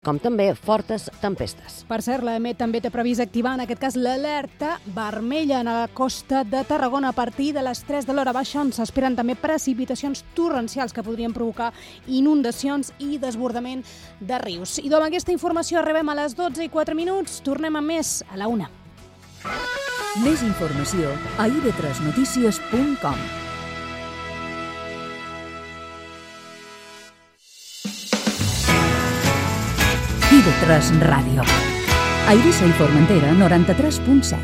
com també fortes tempestes. Per cert, l'EMET també té previst activar, en aquest cas, l'alerta vermella a la costa de Tarragona a partir de les 3 de l'hora baixa, on s'esperen també precipitacions torrencials que podrien provocar inundacions i desbordament de rius. I amb aquesta informació arribem a les 12:04. Tornem amb més a la 1. Més informació a ib3notícies.com. IB3 Ràdio. A Eivissa i Formentera, 93.7.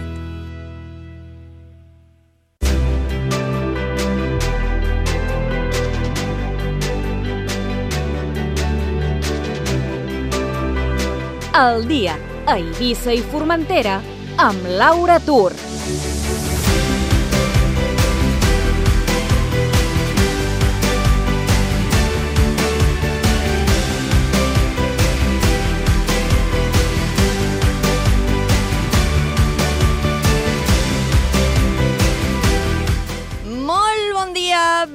El dia a Eivissa i Formentera amb Laura Tur.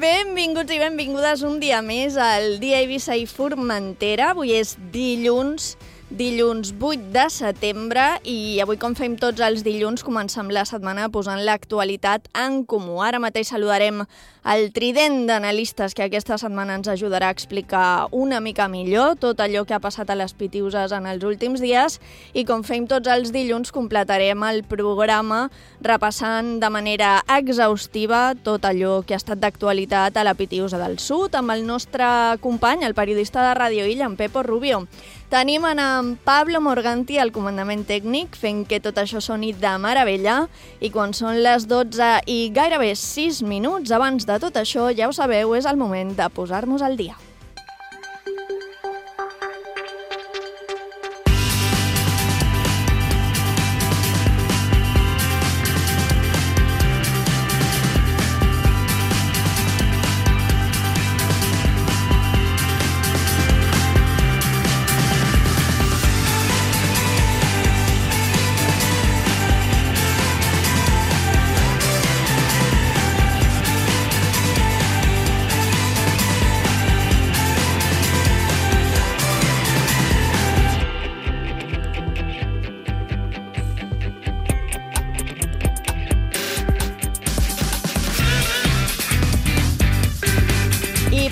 Benvinguts i benvingudes un dia més al Dia Eivissa i Formentera. Avui és dilluns 8 de setembre i avui, com fem tots els dilluns, comencem la setmana posant l'actualitat en comú. Ara mateix saludarem el trident d'analistes que aquesta setmana ens ajudarà a explicar una mica millor tot allò que ha passat a les Pitiüses en els últims dies i, com fem tots els dilluns, completarem el programa repassant de manera exhaustiva tot allò que ha estat d'actualitat a la Pitiüsa del Sud amb el nostre company, el periodista de Ràdio Illa, en Pepo Rubio. Tenim en Pablo Morganti al comandament tècnic, fent que tot això soni de meravella, i quan són les 12 i gairebé 6 minuts abans de tot això, ja ho sabeu, és el moment de posar-nos al dia.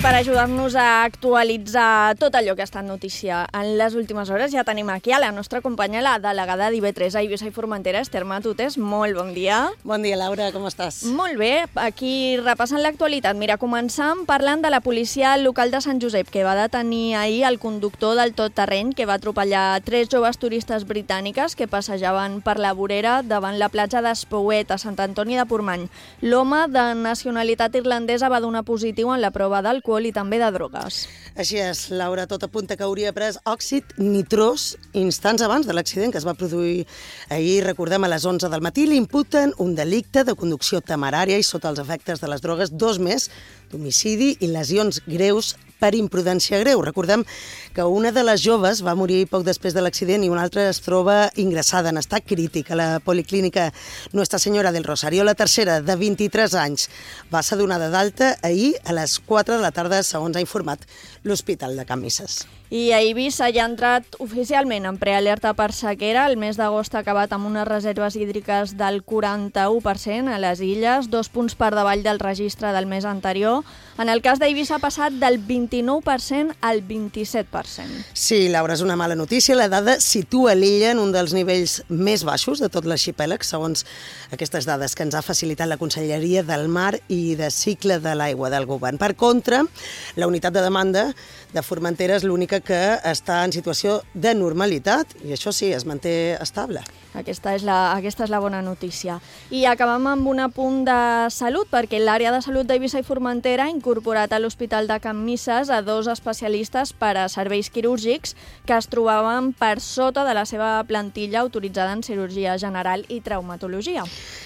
Per ajudar-nos a actualitzar tot allò que ha estat notícia en les últimes hores, ja tenim aquí a la nostra companya, la delegada d'IB3 a Eivissa i Formentera, Esther Matutes. Molt bon dia. Bon dia, Laura, com estàs? Molt bé, aquí repassant l'actualitat. Mira, començam parlant de la policia local de Sant Josep, que va detenir ahir el conductor del tot-terreny que va atropellar 3 joves turistes britàniques que passejaven per la vorera davant la platja d'Espouet, a Sant Antoni de Portmany. L'home de nacionalitat irlandesa va donar positiu en la prova d'alcohol i també de drogues. Així és, Laura, tot apunta que hauria pres òxid nitrós instants abans de l'accident que es va produir ahir, recordem, a les 11 del matí. Li imputen un delicte de conducció temerària i sota els efectes de les drogues, 2 més d'homicidi i lesions greus per imprudència greu. Recordem que una de les joves va morir poc després de l'accident i una altra es troba ingressada en estat crític a la policlínica Nuestra Senyora del Rosario. La tercera, de 23 anys, va ser donada d'alta ahir a les 4 de la tarda, segons ha informat l'Hospital de Can Misses. I a Eivissa ja ha entrat oficialment en prealerta per sequera. El mes d'agost ha acabat amb unes reserves hídriques del 41% a les illes, 2 punts per davall del registre del mes anterior. En el cas d'Eivissa ha passat del 29% al 27%. Sí, Laura, és una mala notícia. La dada situa l'illa en un dels nivells més baixos de tot l'arxipèlag, segons aquestes dades que ens ha facilitat la Conselleria del Mar i de Cicle de l'Aigua del Govern. Per contra, la unitat de demanda de Formentera és l'única que està en situació de normalitat i això sí, es manté estable. Aquesta és la bona notícia. I acabem amb un apunt de salut, perquè l'àrea de salut d'Eivissa i Formentera ha incorporat a l'Hospital de Can Misses a 2 especialistes per a serveis quirúrgics que es trobaven per sota de la seva plantilla autoritzada en cirurgia general i traumatologia.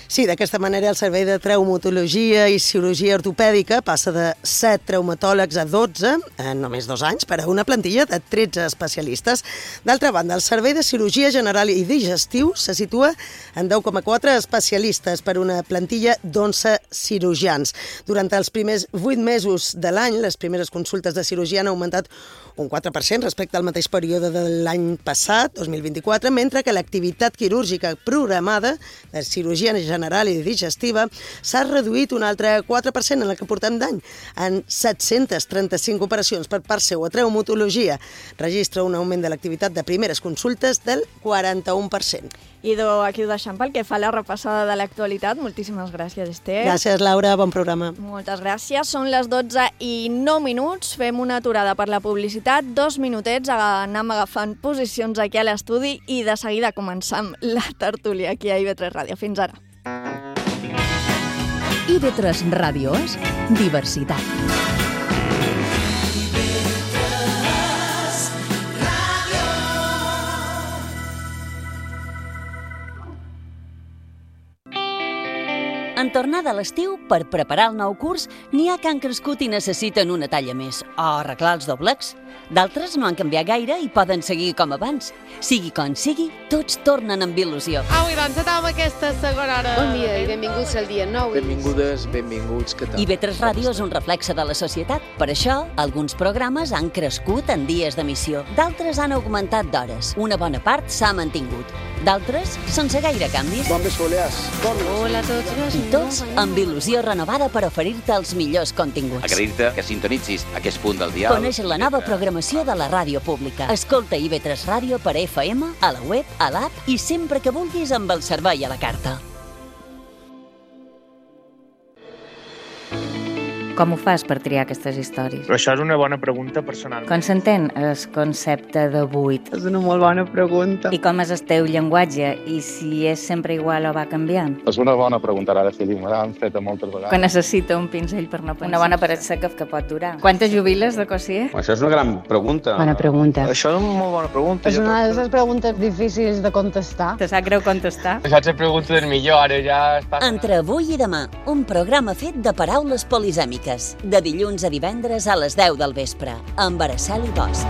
Sí, d'aquesta manera el servei de traumatologia i cirurgia ortopèdica passa de 7 traumatòlegs a 12 en només 2 anys per a una plantilla de 13 especialistes. D'altra banda, el servei de cirurgia general i digestiu se situa en 10,4 especialistes per una plantilla d'11 cirurgians. Durant els primers 8 mesos de l'any, les primeres consultes de cirurgia han augmentat un 4% respecte al mateix període de l'any passat, 2024, mentre que l'activitat quirúrgica programada de cirurgia general i digestiva s'ha reduït un altre 4% en el que portem d'any, en 735 operacions per part seu. A traumatologia registra un augment de l'activitat de primeres consultes del 41%. Idò, aquí ho deixem pel que fa a la repassada de l'actualitat. Moltíssimes gràcies, Esther. Gràcies, Laura. Bon programa. Moltes gràcies. Són les 12:09. Fem una aturada per la publicitat. 2 minutets, anem agafant posicions aquí a l'estudi i de seguida començam la tertúlia aquí a IB3 Ràdio. Fins ara. IB3 Ràdio és diversitat. En tornada a l'estiu, per preparar el nou curs, n'hi ha que han crescut i necessiten una talla més, o arreglar els doblecs. D'altres no han canviat gaire i poden seguir com abans. Sigui com sigui, tots tornen amb il·lusió. Au, i doncs anem aquesta segona hora. Bon dia i benvinguts al dia 9. Benvingudes, benvinguts, què tal? IB3 Ràdio és un reflexe de la societat. Per això, alguns programes han crescut en dies d'emissió. D'altres han augmentat d'hores. Una bona part s'ha mantingut. D'altres, sense gaire canvis. Bon vespolers. Hola a tots. I tots amb il·lusió renovada per oferir-te els millors continguts. Agrair-te que sintonitzis aquest punt del dial. Coneix la nova programació de la ràdio pública. Escolta IB3 Ràdio per FM, a la web, a l'app i sempre que vulguis amb el servei a la carta. Com ho fas per triar aquestes històries? Però això és una bona pregunta personal. Com s'entén el concepte de buit? És una molt bona pregunta. I com és el teu llenguatge? I si és sempre igual o va canviant? És una bona pregunta, ara sí, me l'han fet moltes vegades. Que necessita un pinzell per no pensar. Una bona paret seca que pot durar. Quantes jubiles de Cossier? Això és una gran pregunta. Bona pregunta. Això és una molt bona pregunta. És una de les preguntes difícils de contestar. Te sap greu contestar? Això és la pregunta del millor, ara ja està... Entre avui i demà, un programa fet de paraules polisèmiques. De dilluns a divendres a les 10 del vespre, amb Araceli Bosch.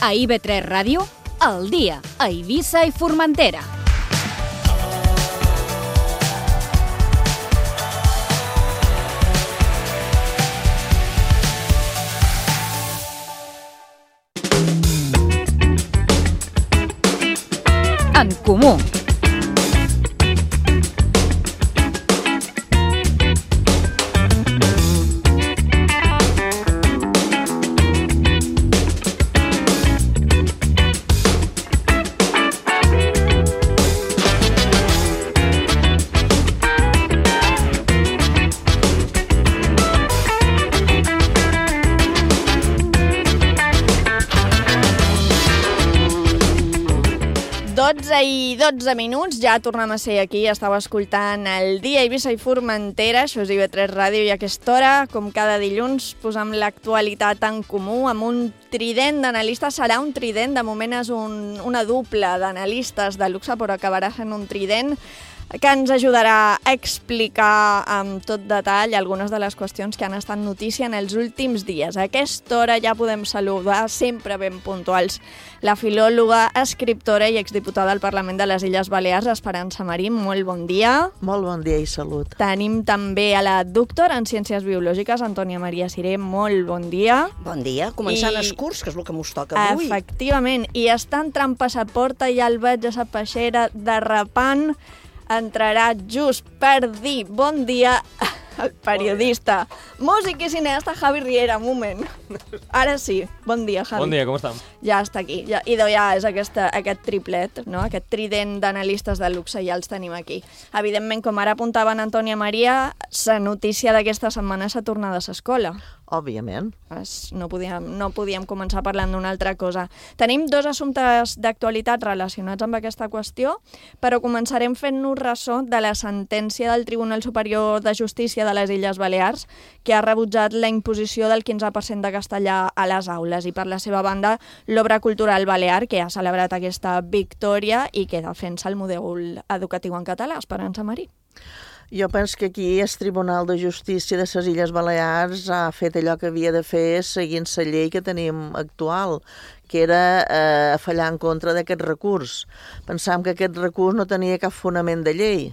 A IB3 Ràdio, al dia, a Eivissa i Formentera. En comú. I 12 minuts, ja tornem a ser aquí, estava escoltant el dia Eivissa i Formentera, això és IB3 Ràdio, i a aquesta hora, com cada dilluns, posem l'actualitat en comú amb un trident d'analistes. Serà un trident, de moment és una dupla d'analistes de luxe, però acabarà sent un trident que ens ajudarà a explicar amb tot detall algunes de les qüestions que han estat notícia en els últims dies. A aquesta hora ja podem saludar, sempre ben puntuals, la filòloga, escriptora i exdiputada al Parlament de les Illes Balears, Esperança Marín. Molt bon dia. Molt bon dia i salut. Tenim també a la doctora en Ciències Biològiques, Antònia Maria Siré. Molt bon dia. Bon dia. Començant els curs, que és el que mos toca avui. Efectivament. I està entrant passaporta, ja el veig a la peixera derrapant. Entrarà just per dir bon dia al periodista, músic i cineasta Javi Riera. Un moment. Ara sí. Bon dia, Javi. Bon dia, com estem? Ja està aquí. I ja és aquest triplet, no? Aquest trident d'analistes de luxe, ja els tenim aquí. Evidentment, com ara apuntava en Antònia Maria, la notícia d'aquesta setmana és la tornada a l'escola. Òbviament. No podíem començar parlant d'una altra cosa. Tenim 2 assumptes d'actualitat relacionats amb aquesta qüestió, però començarem fent-nos ressò de la sentència del Tribunal Superior de Justícia de les Illes Balears, que ha rebutjat la imposició del 15% de castellà a les aules. I per la seva banda, l'Obra Cultural Balear, que ha celebrat aquesta victòria i que defensa el model educatiu en català. Esperança Marí. Jo penso que aquí el Tribunal de Justícia de les Illes Balears ha fet allò que havia de fer seguint la llei que tenim actual, que era fallar en contra d'aquest recurs. Pensàvem que aquest recurs no tenia cap fonament de llei.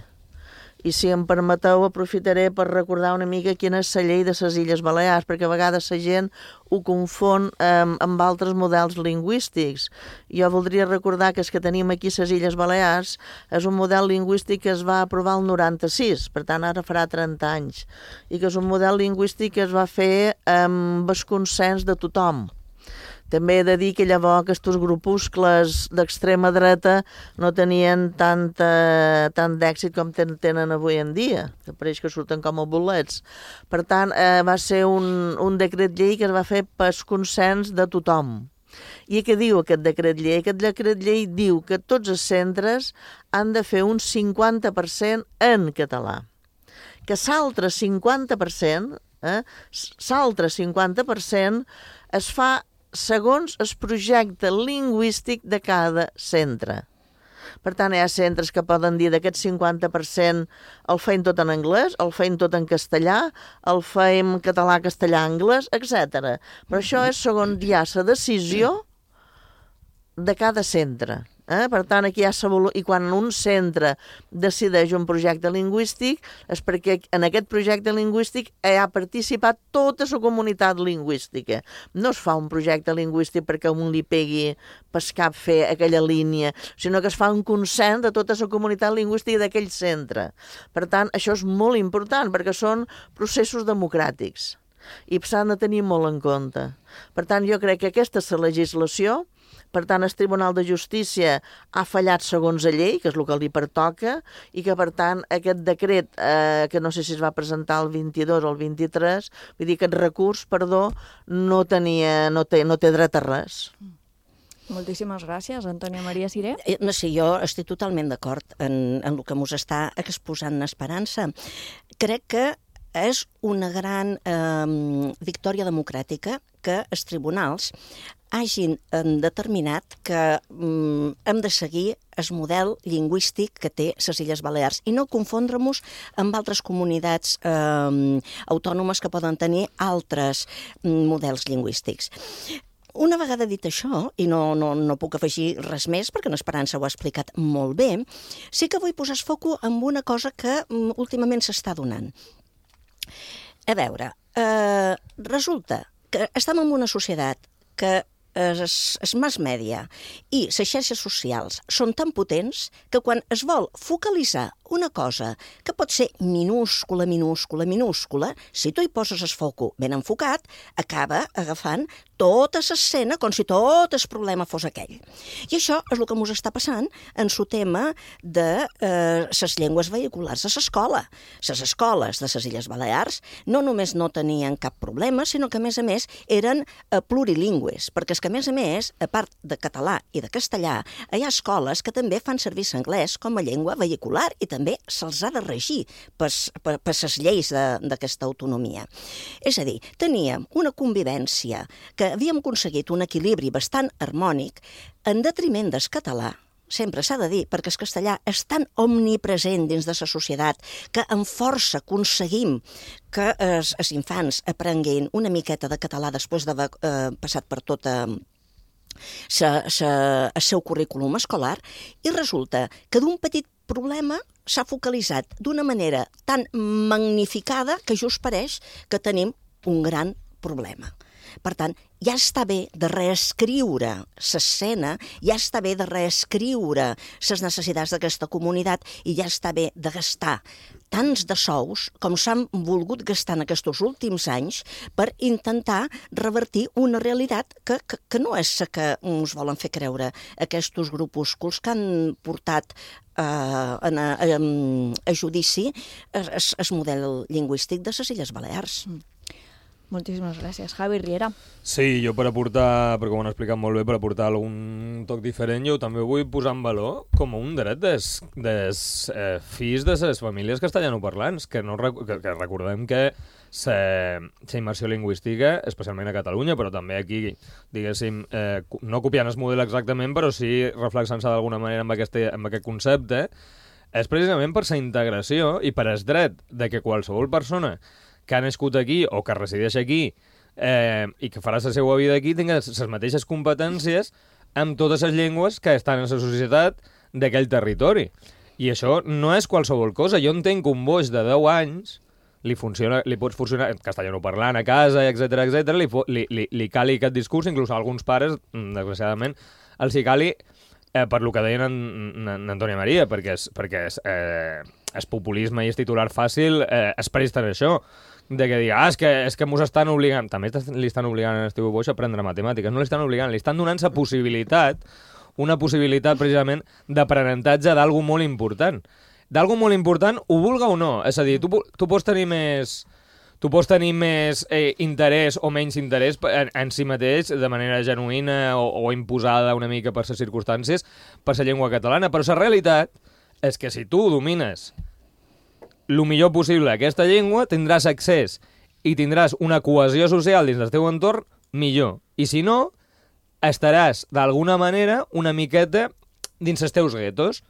I si em permeteu, aprofitaré per recordar una mica quina és la llei de les Illes Balears, perquè a vegades la gent ho confon amb altres models lingüístics. Jo voldria recordar que el que tenim aquí a les Illes Balears és un model lingüístic que es va aprovar el 96, per tant ara farà 30 anys, i que és un model lingüístic que es va fer amb el consens de tothom. També he de dir que llavors aquests grupuscles d'extrema dreta no tenien tant d'èxit com tenen avui en dia, que pareix que surten com a bolets. Per tant, va ser un decret llei que es va fer per consens de tothom. I què diu aquest decret llei? Aquest decret llei diu que tots els centres han de fer un 50% en català. Que l'altre 50%, es fa segons el projecte lingüístic de cada centre. Per tant, hi ha centres que poden dir d'aquest 50% el feim tot en anglès, el feim tot en castellà, el feim català, castellà, anglès, etc. Però això és segons ja la decisió de cada centre. Per tant, aquí hi ha i quan un centre decideix un projecte lingüístic és perquè en aquest projecte lingüístic ha participat tota la comunitat lingüística. No es fa un projecte lingüístic perquè un li pegui pel cap fer aquella línia, sinó que es fa un consens de tota la comunitat lingüística d'aquell centre. Per tant, això és molt important perquè són processos democràtics i s'han de tenir molt en compte. Per tant, jo crec que aquesta és la legislació. Per tant, el Tribunal de Justícia ha fallat segons la llei, que és el que li pertoca, i que, per tant, aquest decret, que no sé si es va presentar el 22 o el 23, vull dir que aquest recurs, no té dret a res. Moltíssimes gràcies, Antònia Maria Siré. No sé, jo estic totalment d'acord en el que mos està exposant Esperança. Crec que és una gran victòria democràtica que els tribunals hagin determinat que hem de seguir el model lingüístic que té les Illes Balears i no confondre-nos amb altres comunitats autònomes que poden tenir altres models lingüístics. Una vegada dit això, i no puc afegir res més perquè l'Esperança ho ha explicat molt bé, sí que vull posar el foc en una cosa que últimament s'està donant. A veure, resulta que estem en una societat que els mass media i les xarxes socials són tan potents que quan es vol focalitzar una cosa que pot ser minúscula, si tu hi poses el foco ben enfocat, acaba agafant tota l'escena com si tot el problema fos aquell. I això és el que ens està passant en el tema de les llengües vehiculars a l'escola. Les escoles de les Illes Balears no només no tenien cap problema, sinó que, a més, eren plurilingües, perquè és que, a més, a part de català i de castellà, hi ha escoles que també fan servir l'anglès com a llengua vehicular i també se'ls ha de regir per les lleis d'aquesta autonomia. És a dir, teníem una convivència que havíem aconseguit un equilibri bastant harmònic en detriment del català, sempre s'ha de dir, perquè el castellà és tan omnipresent dins de la societat que amb força aconseguim que els infants aprenguin una miqueta de català després d'haver passat per tota el seu currículum escolar, i resulta que d'un petit problema s'ha focalitzat d'una manera tan magnificada que just pareix que tenim un gran problema. Per tant, ja està bé de reescriure l'escena, ja està bé de reescriure les necessitats d'aquesta comunitat i ja està bé de gastar tants de sous com s'han volgut gastar en aquests últims anys per intentar revertir una realitat que no és la que ens volen fer creure aquests grupúsculs que han portat a judici el model lingüístic de les Illes Balears. Moltíssimes gràcies. Javi Riera. Sí, jo per aportar, perquè ho han explicat molt bé, per aportar algun toc diferent, jo també vull posar en valor com un dret dels fills de les famílies castellanoparlants, que recordem que la immersió lingüística, especialment a Catalunya, però també aquí, diguéssim, no copiant el model exactament, però sí reflexant-se d'alguna manera amb aquest concepte, és precisament per la integració i per el dret de que qualsevol persona que ha nascut aquí o que resideix aquí i que farà la seva vida aquí tingui les mateixes competències amb totes les llengües que estan en la societat d'aquell territori. I això no és qualsevol cosa. Jo entenc que un boix de 10 anys li pots funcionar castellanoparlant a casa, etc li cali aquest discurs, inclús a alguns pares, desgraciadament, els hi cali per lo que deien en Antònia Maria, perquè el populisme i el titular fàcil es presta a això, de que digui, és que mos estan obligant, també li estan obligant a Esteve Boix a aprendre matemàtiques, no li estan obligant, li estan donant una possibilitat precisament d'aprenentatge d'algú molt important. D'algú molt important, ho vulga o no. És a dir, tu pots tenir més interès o menys interès en si mateix de manera genuïna o imposada una mica per les circumstàncies, per la llengua catalana, però la realitat és que si tu domines el millor possible aquesta llengua, tindràs accés i tindràs una cohesió social dins del teu entorn millor. I si no, estaràs d'alguna manera una miqueta dins els teus guetos.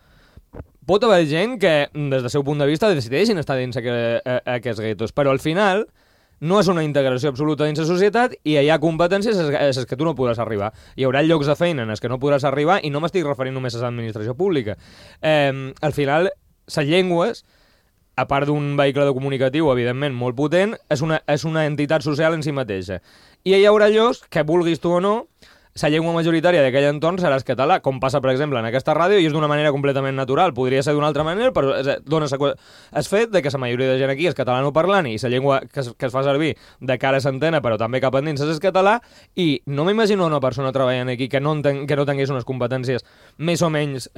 Pot haver gent que, des del seu punt de vista, decideixin estar dins aquests guetos, però al final no és una integració absoluta dins la societat i hi ha competències a les que tu no podràs arribar. Hi haurà llocs de feina en els que no podràs arribar i no m'estic referint només a l'administració pública. Al final, les llengües, a part d'un vehicle comunicatiu, evidentment, molt potent, és una entitat social en si mateixa. I hi haurà llocs que, vulguis tu o no, la llengua majoritària d'aquell entorn serà el català, com passa, per exemple, en aquesta ràdio, i és d'una manera completament natural. Podria ser d'una altra manera, però dona el fet de que la majoria de gent aquí és catalanoparlant i la llengua que es fa servir de cara a l'antena, però també cap endins, és el català, i no m'imagino una persona treballant aquí que no tingués unes competències més o menys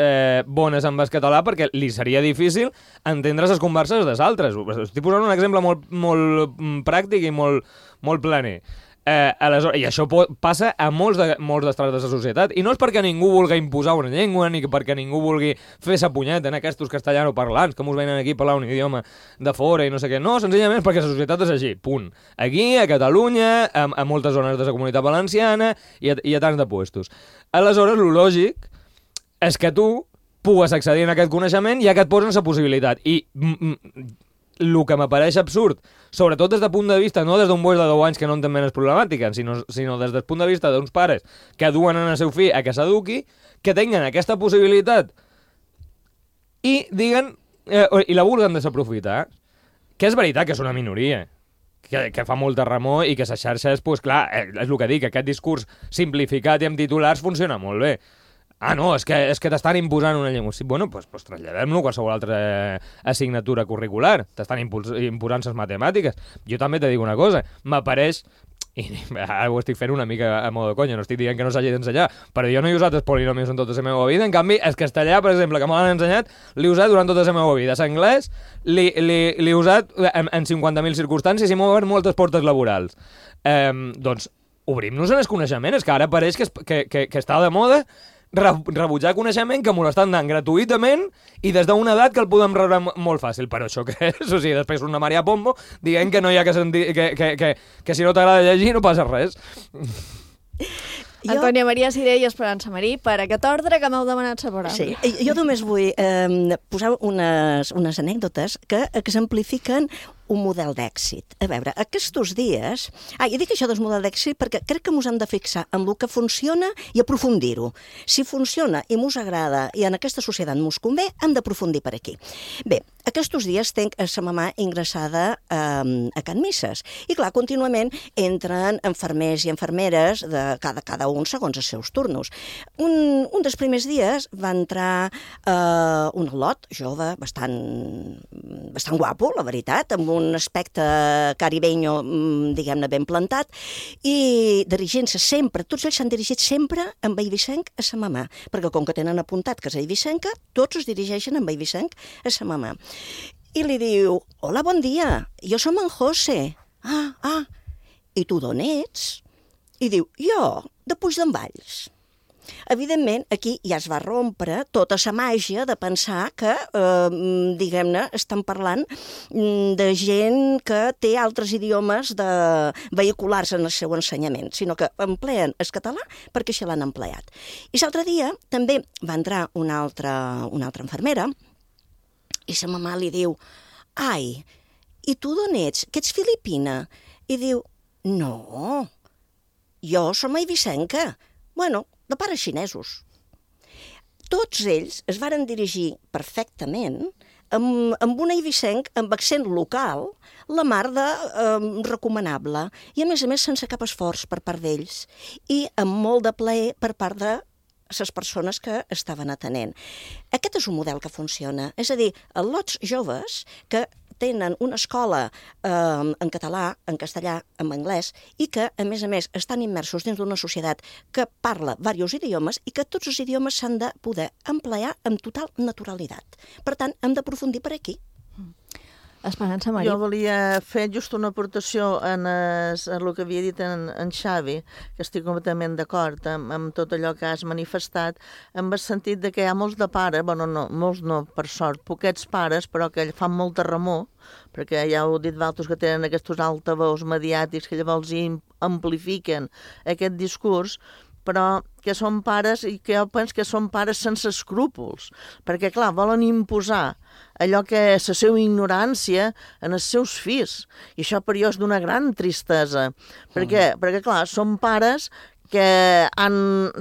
bones amb el català, perquè li seria difícil entendre les converses dels altres. Estic posant un exemple molt pràctic i molt planer. I això passa a molts d'estrats de la societat, i no és perquè ningú vulgui imposar una llengua ni perquè ningú vulgui fer sa punyeta en aquests castellanoparlants que mos venen aquí a parlar un idioma de fora i no sé què, no, senzillament perquè la societat és així, punt. Aquí, a Catalunya, a moltes zones de la Comunitat Valenciana i a tants de puestos. Aleshores, el lògic és que tu pugues accedir a aquest coneixement ja que et posen la possibilitat, i el que m'apareix absurd, sobretot des del punt de vista, no des d'un boix de 10 anys que no entén menys problemàtica, sinó des del punt de vista d'uns pares que duen en el seu fill a que s'eduqui, que tinguin aquesta possibilitat i diguen, i la vulguen desaprofitar, que és veritat que és una minoria, que fa molta remor i que les xarxes, doncs clar, és el que dic, aquest discurs simplificat i amb titulars funciona molt bé. No, és que t'estan imposant una llengua. Sí, bueno, doncs traslladem-lo a qualsevol altra assignatura curricular. T'estan imposant les matemàtiques. Jo també te dic una cosa, m'apareix, i ara ho estic fent una mica a modo de conya, no estic dient que no s'hagi d'ensenyar, però jo no he usat els polinomios en tota la meva vida, en canvi, el castellà, per exemple, que m'han ensenyat, l'he usat durant tota la meva vida. L'anglès l'he usat en 50.000 circumstàncies i m'ha obert moltes portes laborals. Doncs obrim-nos en el coneixement, és que ara pareix que està de moda rebutjar coneixement que m'ho estan dant gratuïtament i des d'una edat que el podem rebre molt fàcil. Però això què és? O sigui, després una Maria Pombo dient que no hi ha que sentir, que si no t'agrada llegir no passa res. Antònia Maria Siré i Esperança Marí, per aquest ordre que m'heu demanat separar. Sí, jo només vull posar unes anècdotes que exemplifiquen un model d'èxit. A veure, aquests dies... I dic això del model d'èxit perquè crec que ens hem de fixar en el que funciona i aprofundir-ho. Si funciona i ens agrada i en aquesta societat ens convé, hem d'aprofundir per aquí. Bé, aquests dies tenc a sa mamà ingressada a Can Misses. I clar, contínuament entren infermers i infermeres de cada un segons els seus turnos. Un dels primers dies va entrar un al·lot jove, bastant guapo, la veritat, amb un aspecte caribeño, diguem-ne, ben plantat, i dirigint-se sempre, tots ells s'han dirigit sempre amb eivissenc a sa mamà, perquè com que tenen apuntat que és eivissenca, tots es dirigeixen amb eivissenc a sa mamà. I li diu, hola, bon dia, jo som en José. I tu d'on ets? I diu, jo, de Puigdemvalls. Evidentment, aquí ja es va rompre tota la màgia de pensar que, diguem-ne, estan parlant de gent que té altres idiomes vehiculars en el seu ensenyament, sinó que empleen el català perquè això l'han empleat. I l'altre dia també va entrar una altra infermera I sa mamà li diu, ai, i tu d'on ets? Que ets filipina? I diu, no, jo som eivissenca. Bueno, de pares xinesos. Tots ells es varen dirigir perfectament amb un eivissenc amb accent local, la mar de recomanable, i a més sense cap esforç per part d'ells, i amb molt de plaer per part de les persones que estaven atenent. Aquest és un model que funciona, és a dir, lots joves que tenen una escola en català, en castellà, en anglès, i que, a més, estan immersos dins d'una societat que parla diversos idiomes i que tots els idiomes s'han de poder emplear amb total naturalitat. Per tant, hem d'aprofundir per aquí. Esperança, Maria. Jo volia fer just una aportació en el que havia dit en Xavi, que estic completament d'acord amb tot allò que has manifestat, en el sentit de que hi ha molts de pares, bueno, no, molts no, per sort, poquets pares, però que fan molta remor, perquè ja heu dit d'altres que tenen aquests altaveus mediàtics que llavors amplifiquen aquest discurs, però que són pares i que jo penso que són pares sense escrúpols, perquè, clar, volen imposar allò que és la seva ignorància en els seus fills. I això per jo és d'una gran tristesa, perquè clar, són pares que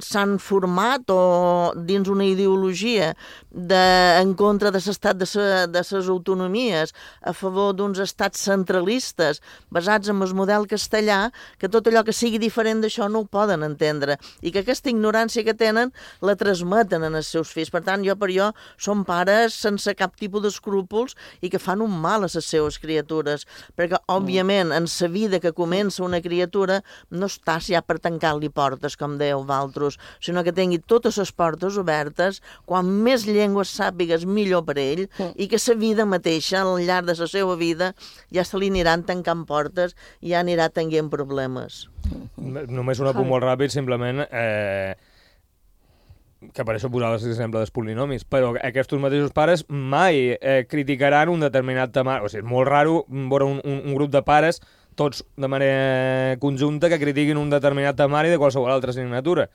s'han format o dins una ideologia en contra de l'estat de les autonomies, a favor d'uns estats centralistes basats en el model castellà, que tot allò que sigui diferent d'això no ho poden entendre i que aquesta ignorància que tenen la transmeten en els seus fills. Per tant, per jo són pares sense cap tipus d'escrúpols i que fan un mal a les seves criatures, perquè, òbviament, en la vida que comença una criatura no estàs ja per tancar-li portes, com dèieu vosaltres, sinó que tingui totes les portes obertes, quan més llengües sàpigues millor per ell, i que la vida mateixa, al llarg de la seva vida, ja se li aniran tancant portes i ja anirà tenint problemes. Només un apunt molt ràpid, simplement, que per això posava l'exemple dels polinomis, però aquests mateixos pares mai criticaran un determinat tema. O sigui, és molt raro veure un grup de pares tots de manera conjunta que critiquin un determinat temari de qualsevol altra assignatura.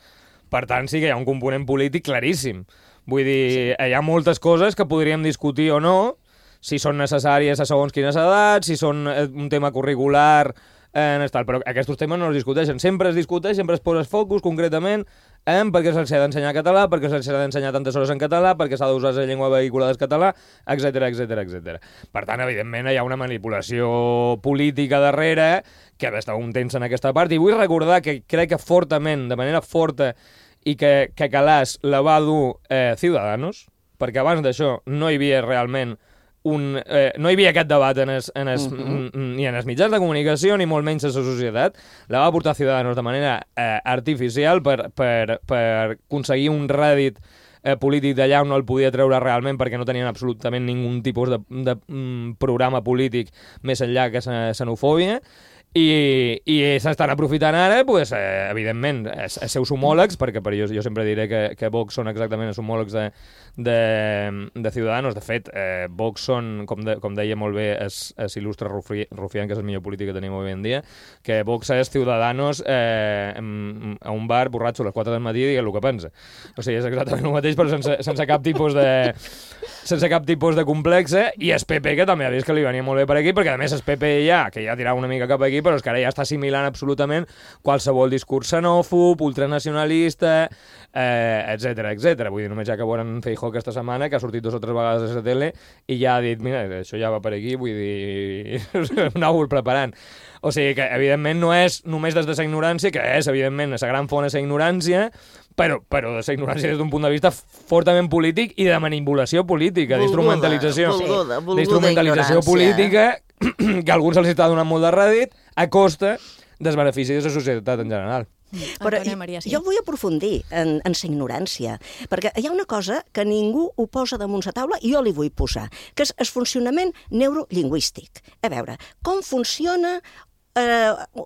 Per tant, sí que hi ha un component polític claríssim. Vull dir, hi ha moltes coses que podríem discutir o no, si són necessàries a segons quines edats, si són un tema curricular, però aquests temes no es discuteixen. Sempre es discuteix, sempre es posa focus concretament perquè se'ls ha d'ensenyar català, perquè se'ls ha d'ensenyar tantes hores en català, perquè s'ha d'usar la llengua vehicular del català, etc. Per tant, evidentment, hi ha una manipulació política darrere que ha d'estar un temps en aquesta part. I vull recordar que crec que fortament, de manera forta, i que Calàs la va dur Ciudadanos, perquè abans d'això no hi havia realment no hi havia aquest debat ni en els mitjans de comunicació ni molt menys a la societat. La va portar Ciudadanos de manera artificial per aconseguir un rèdit polític d'allà on no el podia treure realment perquè no tenien absolutament ningun tipus de programa polític més enllà que xenofòbia. I s'estan aprofitant ara, evidentment, els seus homòlegs, perquè per jo sempre diré que Vox són exactament els homòlegs de Ciudadanos. De fet, Vox són, com deia molt bé l'il·lustre Rufián, que és el millor polític que tenim avui en dia, que Vox és Ciudadanos a un bar borratxo a les 4 del matí i digues el que pensa. O sigui, és exactament el mateix, però sense cap tipus de complexe, i el PP, que també ha vist que li venia molt bé per aquí, perquè a més el PP que ja tirava una mica cap aquí, però és que ara ja està assimilant absolutament qualsevol discurs xenòfob, ultranacionalista, etc. Vull dir, només ja que veuen Feijóo aquesta setmana, que ha sortit 2 o 3 vegades a la tele i ja ha dit, mira, això ja va per aquí, vull dir, anau-ho preparant. O sigui que, evidentment, no és només des de la ignorància, que és, evidentment, la gran font és la ignorància, però de la ignorància des d'un punt de vista fortament polític i de manipulació política, d'instrumentalització política, que a alguns els està donant molt de rèdit a costa dels beneficis de la societat en general. Però jo vull aprofundir en la ignorància, perquè hi ha una cosa que ningú ho posa damunt la taula i jo li vull posar, que és el funcionament neurolingüístic. A veure, com funciona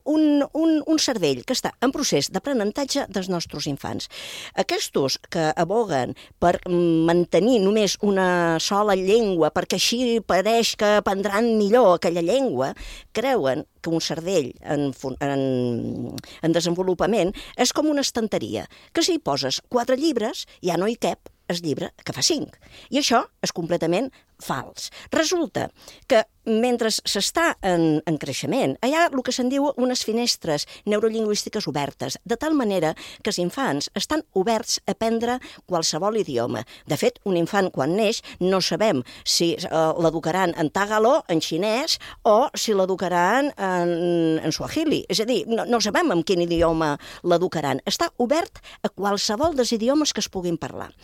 un cervell que està en procés d'aprenentatge dels nostres infants. Aquests que aboguen per mantenir només una sola llengua perquè així pareix que aprendran millor aquella llengua, creuen que un cervell en desenvolupament és com una estanteria, que si hi poses 4 llibres ja no hi cap el llibre que fa 5. I això és completament fals. Resulta que mentre s'està en creixement, hi ha el que se'n diu unes finestres neurolingüístiques obertes, de tal manera que els infants estan oberts a aprendre qualsevol idioma. De fet, un infant quan neix no sabem si l'educaran en tagalo, en xinès, o si l'educaran en suahili. És a dir, no sabem en quin idioma l'educaran. Està obert a qualsevol dels idiomes que es puguin parlar.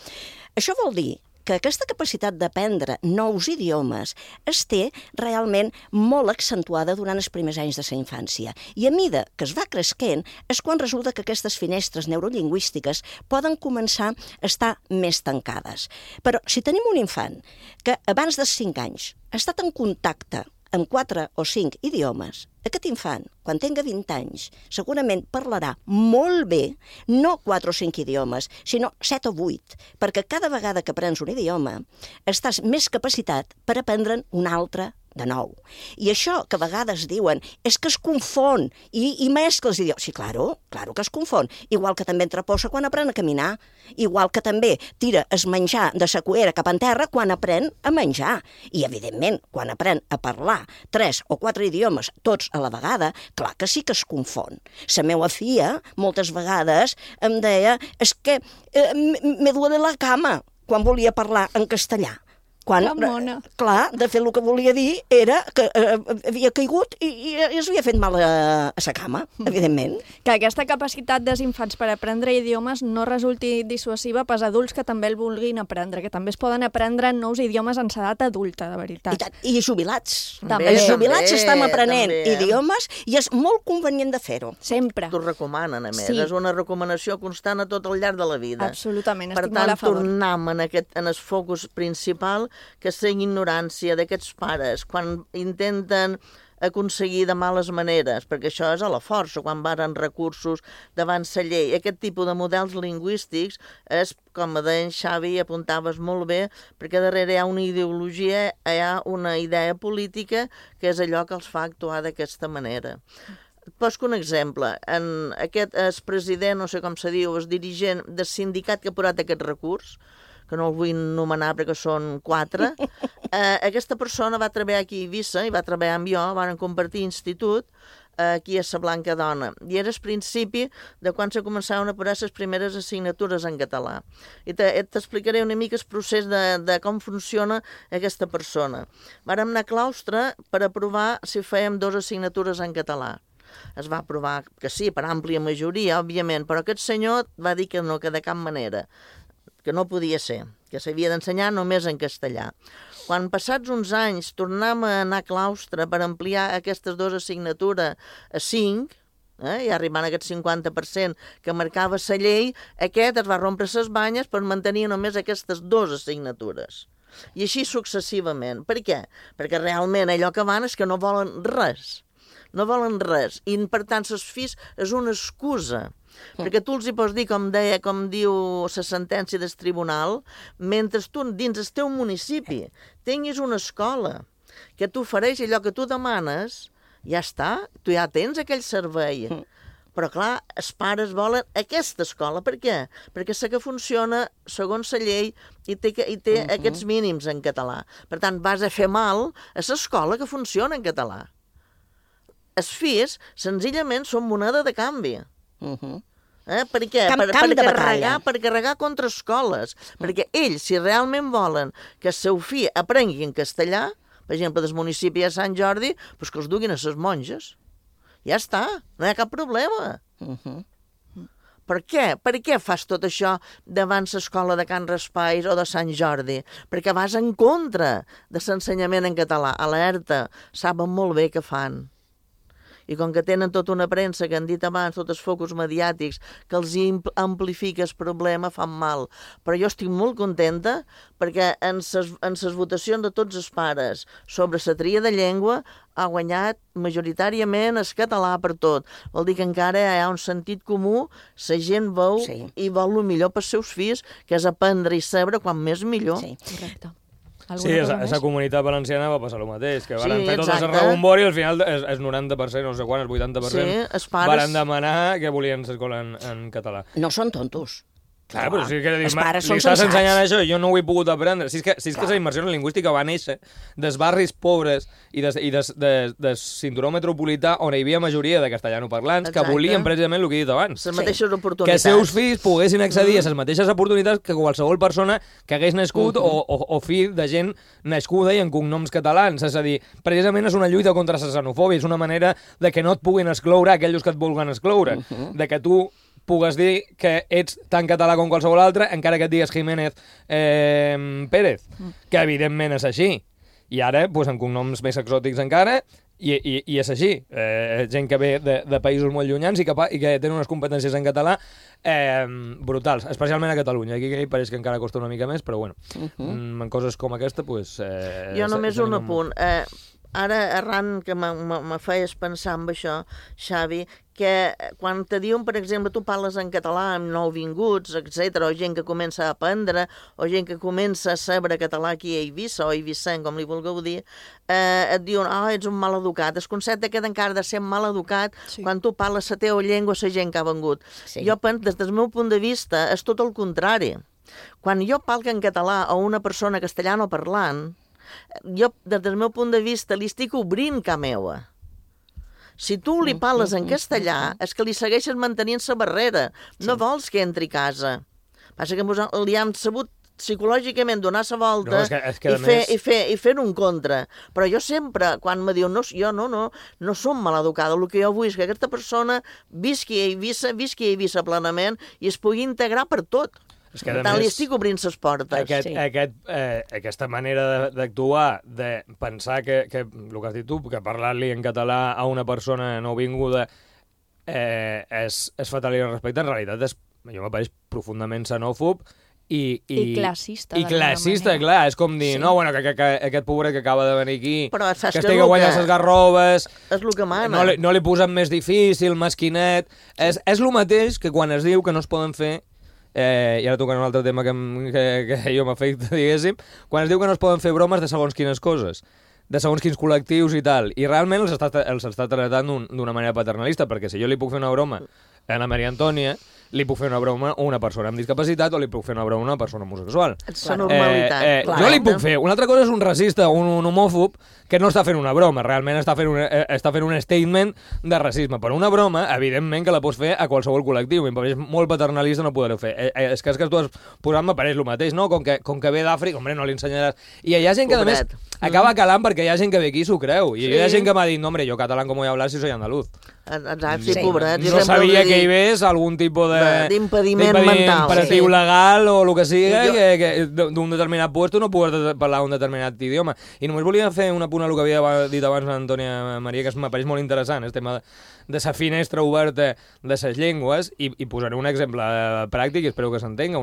Això vol dir que aquesta capacitat d'aprendre nous idiomes es té realment molt accentuada durant els primers anys de la infància. I a mida que es va cresquent és quan resulta que aquestes finestres neurolingüístiques poden començar a estar més tancades. Però si tenim un infant que abans dels 5 anys ha estat en contacte amb 4 o 5 idiomes, aquest infant, quan tenga 20 anys, segurament parlarà molt bé, no 4 o 5 idiomes, sinó 7 o 8, perquè cada vegada que aprens un idioma estàs més capacitat per aprendre'n un altre de nou. I això que a vegades diuen és que es confon i mescla els idiomes. Sí, claro que es confon. Igual que també entreposa quan aprèn a caminar. Igual que també tira es menjar de sa cuera cap en terra quan aprèn a menjar. I, evidentment, quan aprèn a parlar 3 o 4 idiomes tots a la vegada, clar que sí que es confon. La meva filla, moltes vegades, em deia és que me duele la cama quan volia parlar en castellà. Quan, clar, de fet el que volia dir era que havia caigut i es havia fet mal a sa cama, evidentment. Que aquesta capacitat dels infants per aprendre idiomes no resulti dissuasiva pels adults que també el vulguin aprendre, que també es poden aprendre nous idiomes en edat adulta, de veritat. I jubilats. Els jubilats estem aprenent idiomes i és molt convenient de fer-ho. Sempre. T'ho recomanen, a més. És una recomanació constant a tot el llarg de la vida. Absolutament, estic molt a favor. Per tant, tornem en el focus principal, que és la ignorància d'aquests pares quan intenten aconseguir de males maneres, perquè això és a la força, quan varen recursos davant la llei. Aquest tipus de models lingüístics és, com deia en Xavi, apuntaves molt bé, perquè darrere hi ha una ideologia, hi ha una idea política que és allò que els fa actuar d'aquesta manera. Et poso un exemple. Aquest president, no sé com se diu, el dirigent del sindicat que ha posat aquest recurs, que no el vull nomenar perquè són 4, aquesta persona va treballar aquí a Eivissa i va treballar amb jo, van compartir institut aquí a la Blanca Dona. I era el principi de quan se començaven a posar les primeres assignatures en català. I t'explicaré una mica el procés de com funciona aquesta persona. Vàrem anar a claustre per aprovar si fèiem 2 assignatures en català. Es va aprovar que sí, per àmplia majoria, òbviament, però aquest senyor va dir que no, que de cap manera, que no podia ser, que s'havia d'ensenyar només en castellà. Quan passats uns anys tornem a anar a claustre per ampliar aquestes 2 assignatures a 5, i arribant a aquest 50% que marcava la llei, aquest es va rompre les banyes per mantenir només aquestes 2 assignatures. I així successivament. Per què? Perquè realment allò que van és que no volen res. No volen res. I per tant, les fills és una excusa. Perquè tu els hi pots dir, com diu la sentència del tribunal, mentre tu dins el teu municipi tinguis una escola que t'ofereix allò que tu demanes, ja està, tu ja tens aquell servei. Però clar, els pares volen aquesta escola. Per què? Perquè sé que funciona segons la llei i té aquests mínims en català. Per tant, vas a fer mal a l'escola que funciona en català. Els fills, senzillament, són moneda de canvi. Per què? Per carregar contra escoles. Perquè ells, si realment volen que el seu fill aprengui en castellà, per exemple, del municipi de Sant Jordi, doncs que els duguin a les monges. Ja està, no hi ha cap problema. Per què? Per què fas tot això davant l'escola de Can Raspais o de Sant Jordi? Perquè vas en contra de l'ensenyament en català. Alerta, saben molt bé què fan. I com que tenen tota una premsa, que han dit abans, tots els focus mediàtics, que els amplifica el problema, fan mal. Però jo estic molt contenta perquè en les votacions de tots els pares sobre la tria de llengua ha guanyat majoritàriament el català per tot. Vol dir que encara hi ha un sentit comú, la gent veu i vol el millor pels seus fills, que és aprendre i saber quan més millor. Sí, correcte. Sí, a la comunitat valenciana va passar el mateix, que van fer tot el rebombori i al final el 90%, no sé quan, el 80%, van demanar que volien l'escola en català. No són tontos. Clar, però si els pares són estàs sensats. ensenyant això i jo no ho he pogut aprendre. Si és que la immersió lingüística va néixer dels barris pobres i de cinturó metropolità on hi havia majoria de castellanoparlants que volien precisament el que he dit abans. Les mateixes oportunitats. Que els seus fills poguessin accedir a les mateixes oportunitats que qualsevol persona que hagués nascut o fill de gent nascuda i en cognoms catalans. És a dir, precisament és una lluita contra la xenofòbia, és una manera de que no et puguin excloure aquells que et vulguen excloure, de que tu pugues dir que ets tan català com qualsevol altre, encara que et digues Jiménez Pérez, que evidentment és així. I ara, doncs, amb cognoms més exòtics encara, i és així. Gent que ve de països molt llunyans i que tenen unes competències en català brutals, especialment a Catalunya. Aquí pareix que encara costa una mica més, però bueno, en coses com aquesta, doncs... Jo només un apunt. Ara, arran que me feies pensar en això, Xavi, que quan te diuen, per exemple, tu parles en català amb nouvinguts, etc., o gent que comença a aprendre, o gent que comença a saber català aquí a Eivissa, o eivissent, com li vulgueu dir, et diuen, ets un maleducat. El concepte que encara de ser maleducat quan tu parles la teva llengua a la gent que ha vengut. Jo penso, des del meu punt de vista, és tot el contrari. Quan jo parlo en català a una persona castellano parlant, jo, des del meu punt de vista, li estic obrint ca meua. Si tu li parles en castellà, és que li segueixes mantenint la barrera. No vols que entri a casa. Passa que li hem sabut psicològicament donar la volta i fer un contra. Però jo sempre, quan me diu jo no som maleducada, el que jo vull és que aquesta persona visqui a Eivissa plenament i es pugui integrar per tot. Per tant, li estic obrint les portes. Aquesta manera d'actuar, de pensar que el que has dit tu, que parlar-li en català a una persona nouvinguda és fatal i respecte, en realitat jo m'apareix profundament xenòfob i classista. I classista, clar. És com dir, que aquest pobret que acaba de venir aquí, que estigui guanyant les garrobes, és el que mana. No li posen més difícil, mesquinet. És el mateix que quan es diu que no es poden fer, i ara tocant un altre tema que jo m'afecta, diguéssim, quan es diu que no es poden fer bromes de segons quines coses, de segons quins col·lectius i tal, i realment els està tractant d'una manera paternalista, perquè si jo li puc fer una broma a la Maria Antònia, li puc fer una broma a una persona amb discapacitat o li puc fer una broma a una persona homosexual. És la normalitat. Jo li puc fer. Una altra cosa és un racista o un homòfob que no està fent una broma, realment està fent un statement de racisme. Però una broma, evidentment, que la pots fer a qualsevol col·lectiu. Em pareix molt paternalista no poder-ho fer. És que tu has posat, m'apareix el mateix, no? Com que ve d'Àfrica, hombre, no li ensenyaràs. I hi ha gent que, a més, acaba calant perquè hi ha gent que ve aquí i s'ho creu. I hi ha gent que m'ha dit, no, hombre, yo catalán como voy a hablar si soy andaluz. Exacte, pobret. No sabia que hi ves algun tipus d'impediment mental. Imperatiu legal o el que siga, que d'un determinat puesto no pugues parlar un determinat idioma. I només volia fer un apunt a el que havia dit abans l'Antònia Maria, que m'apareix molt interessant, el tema de la finestra oberta de les llengües, i posaré un exemple pràctic i espero que s'entenga.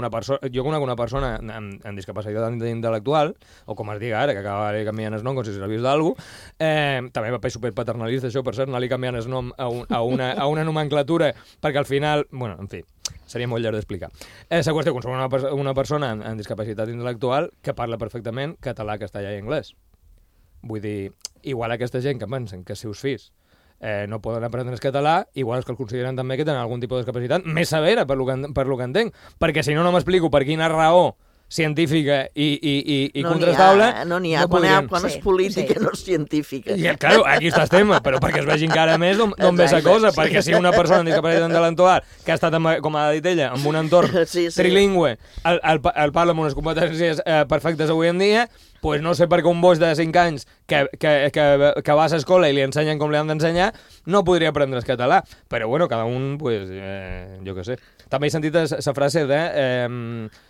Jo conec una persona amb discapacitat intel·lectual, o com es diga ara, que acaba canviant el nom com si s'hagués d'algú, també m'apareix superpaternalista això, per cert, anar-li canviant el nom a una nomenclatura, perquè al final, bueno, en fi, seria molt llarg d'explicar. La qüestió, com som una persona amb discapacitat intel·lectual que parla perfectament català, castellà i anglès. Vull dir, igual aquesta gent que pensen que els seus fills no poden aprendre el català, igual els que el consideren també que tenen algun tipus de discapacitat més severa, per lo que entenc, perquè si no m'explico per quina raó científica i contrastable... No n'hi ha, quan és política no és científica. I, clar, aquí està el tema, però perquè es vegi encara més d'on ve la cosa, perquè si una persona amb discapacitat intel·lectual que ha estat, com ha dit ella, en un entorn trilingüe, el parla amb unes competències perfectes avui en dia, pues no sé per què un boix de 5 anys que va a l'escola i li ensenyen com li han d'ensenyar no podria aprendre el català. Però bueno, cada un, pues, jo què sé. També he sentit esa frase de...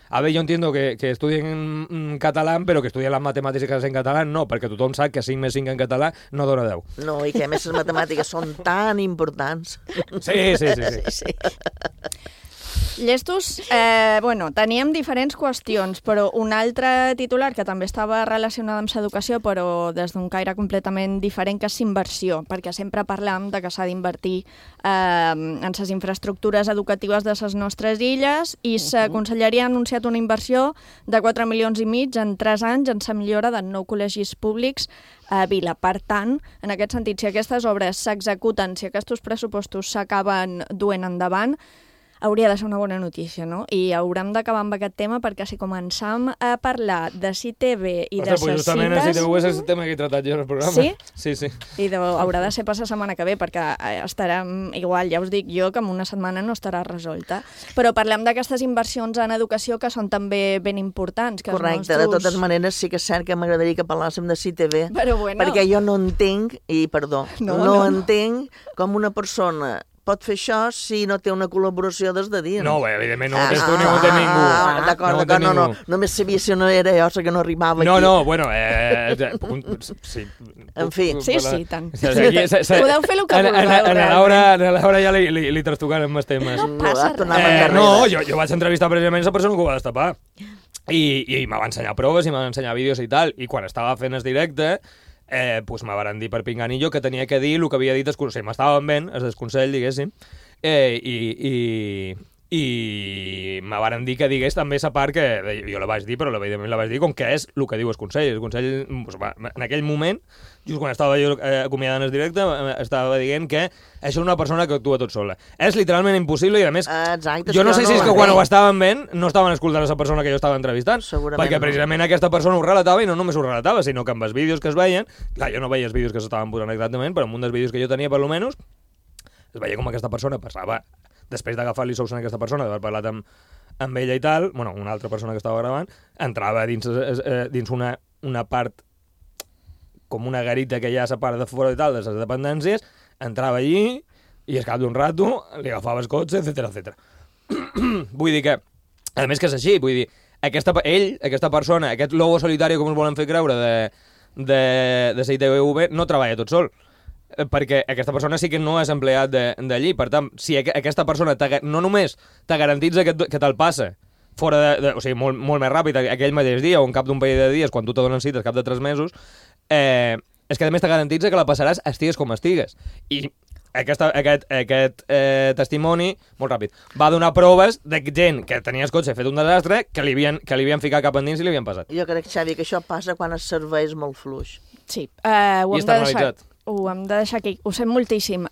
a ver, yo entiendo que estudien en catalán, pero que estudien las matemàtiques en català no, perquè tothom sap que 5 més 5 en català no dona 10. No, i que a més les matemàtiques són tan importants. Sí. Llestos, teníem diferents qüestions, però un altre titular que també estava relacionat amb l'educació, però des d'un caire completament diferent, que és inversió, perquè sempre parlam de que s'ha d'invertir en les infraestructures educatives de les nostres illes, i la Conselleria ha anunciat una inversió de 4,5 milions en 3 anys en la millora de 9 col·legis públics a Vila. Per tant, en aquest sentit, si aquestes obres s'executen, si aquests pressupostos s'acaben duent endavant, hauria de ser una bona notícia, no? I haurem d'acabar amb aquest tema perquè si començam a parlar de CITV i de ses cites... Justament el CITV és el tema que he tratat jo en el programa. Sí? Sí. I haurà de ser per la setmana que ve perquè estarem, igual, ja us dic jo, que en una setmana no estarà resolta. Però parlem d'aquestes inversions en educació que són també ben importants. Que correcte, de totes maneres sí que és cert que m'agradaria que parlàssim de CITV, perquè jo no entenc, i perdó, no entenc com una persona pot fer això si no té una col·laboració des de dins. No, evidentment no ho tens tu ni ho té ningú. D'acord, no. Només sabia si no era jo, que no arribava aquí. No, bueno, sí. En fi. Sí, tant. Podeu fer el que vulgueu. A la Laura ja li trastocaran més temes. No passa res. No, jo vaig entrevistar precisament la persona que ho va destapar. I me va ensenyar proves i me va ensenyar vídeos i tal. I quan estava fent el directe, pues me van dir per pinganillo que tenia que dir el que havia dit el consell. M'estaven ben, el desconsell, diguéssim, i me van dir que digués també la part que jo la vaig dir, però evidentment la vaig dir com que és el que diu el consell. El consell, en aquell moment, just quan estava jo acomiadant el directe, estava dient que això és una persona que actua tot sola. És literalment impossible i, a més, jo no sé si és que quan ho estaven veient no estaven escoltant la persona que jo estava entrevistant, perquè precisament aquesta persona ho relatava i no només ho relatava, sinó que amb els vídeos que es veien, clar, jo no veia els vídeos que s'estaven posant exactament, però amb un dels vídeos que jo tenia, per almenys, es veia com aquesta persona passava, després d'agafar-li sous a aquesta persona, d'haver parlat amb ella i tal, bueno, una altra persona que estava gravant, entrava dins una part, com una garita que hi ha a la part de fora i tal, de les dependències, entrava allí i al cap d'un rato li agafava el cotxe, etc. Vull dir que, a més que és així, vull dir, aquesta persona, aquest lobo solitari, com es volen fer creure, de CITV, no treballa tot sol, perquè aquesta persona sí que no és empleat d'allí. Per tant, si aquesta persona no només te garantitza que te'l passa fora o sigui, molt més ràpid aquell mateix dia o en cap d'un parell de dies, quan tu te donen cites, cap de 3 mesos, és que a més te garantitza que la passaràs estigues com estigues. I aquest testimoni, molt ràpid, va donar proves de gent que tenia el cotxe fet un desastre, que li havien ficat cap endins i li havien passat. Jo crec, Xavi, que això passa quan el servei és molt fluix. Sí, ho hem de deixar aquí. Ho sé moltíssim.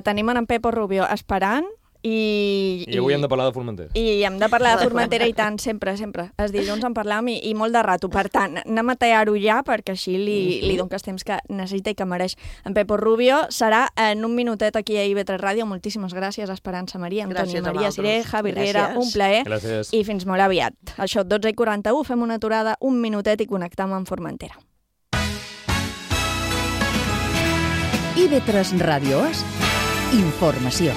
Tenim en Pepo Rubio esperant i avui hem de parlar de Formentera. I hem de parlar de Formentera i tant, sempre. Els dilluns en parlam i molt de rato. Per tant, anem a tallar-ho ja perquè així li donem el temps que necessita i que mereix en Pepo Rubio. Serà en un minutet aquí a IB3 Ràdio. Moltíssimes gràcies, Esperança Maria, Antoni Maria Siré, Javi Riera, un plaer. Gràcies. I fins molt aviat. Això, 12:41, fem una aturada, un minutet i connectam amb Formentera. IB3 Ràdio és informació.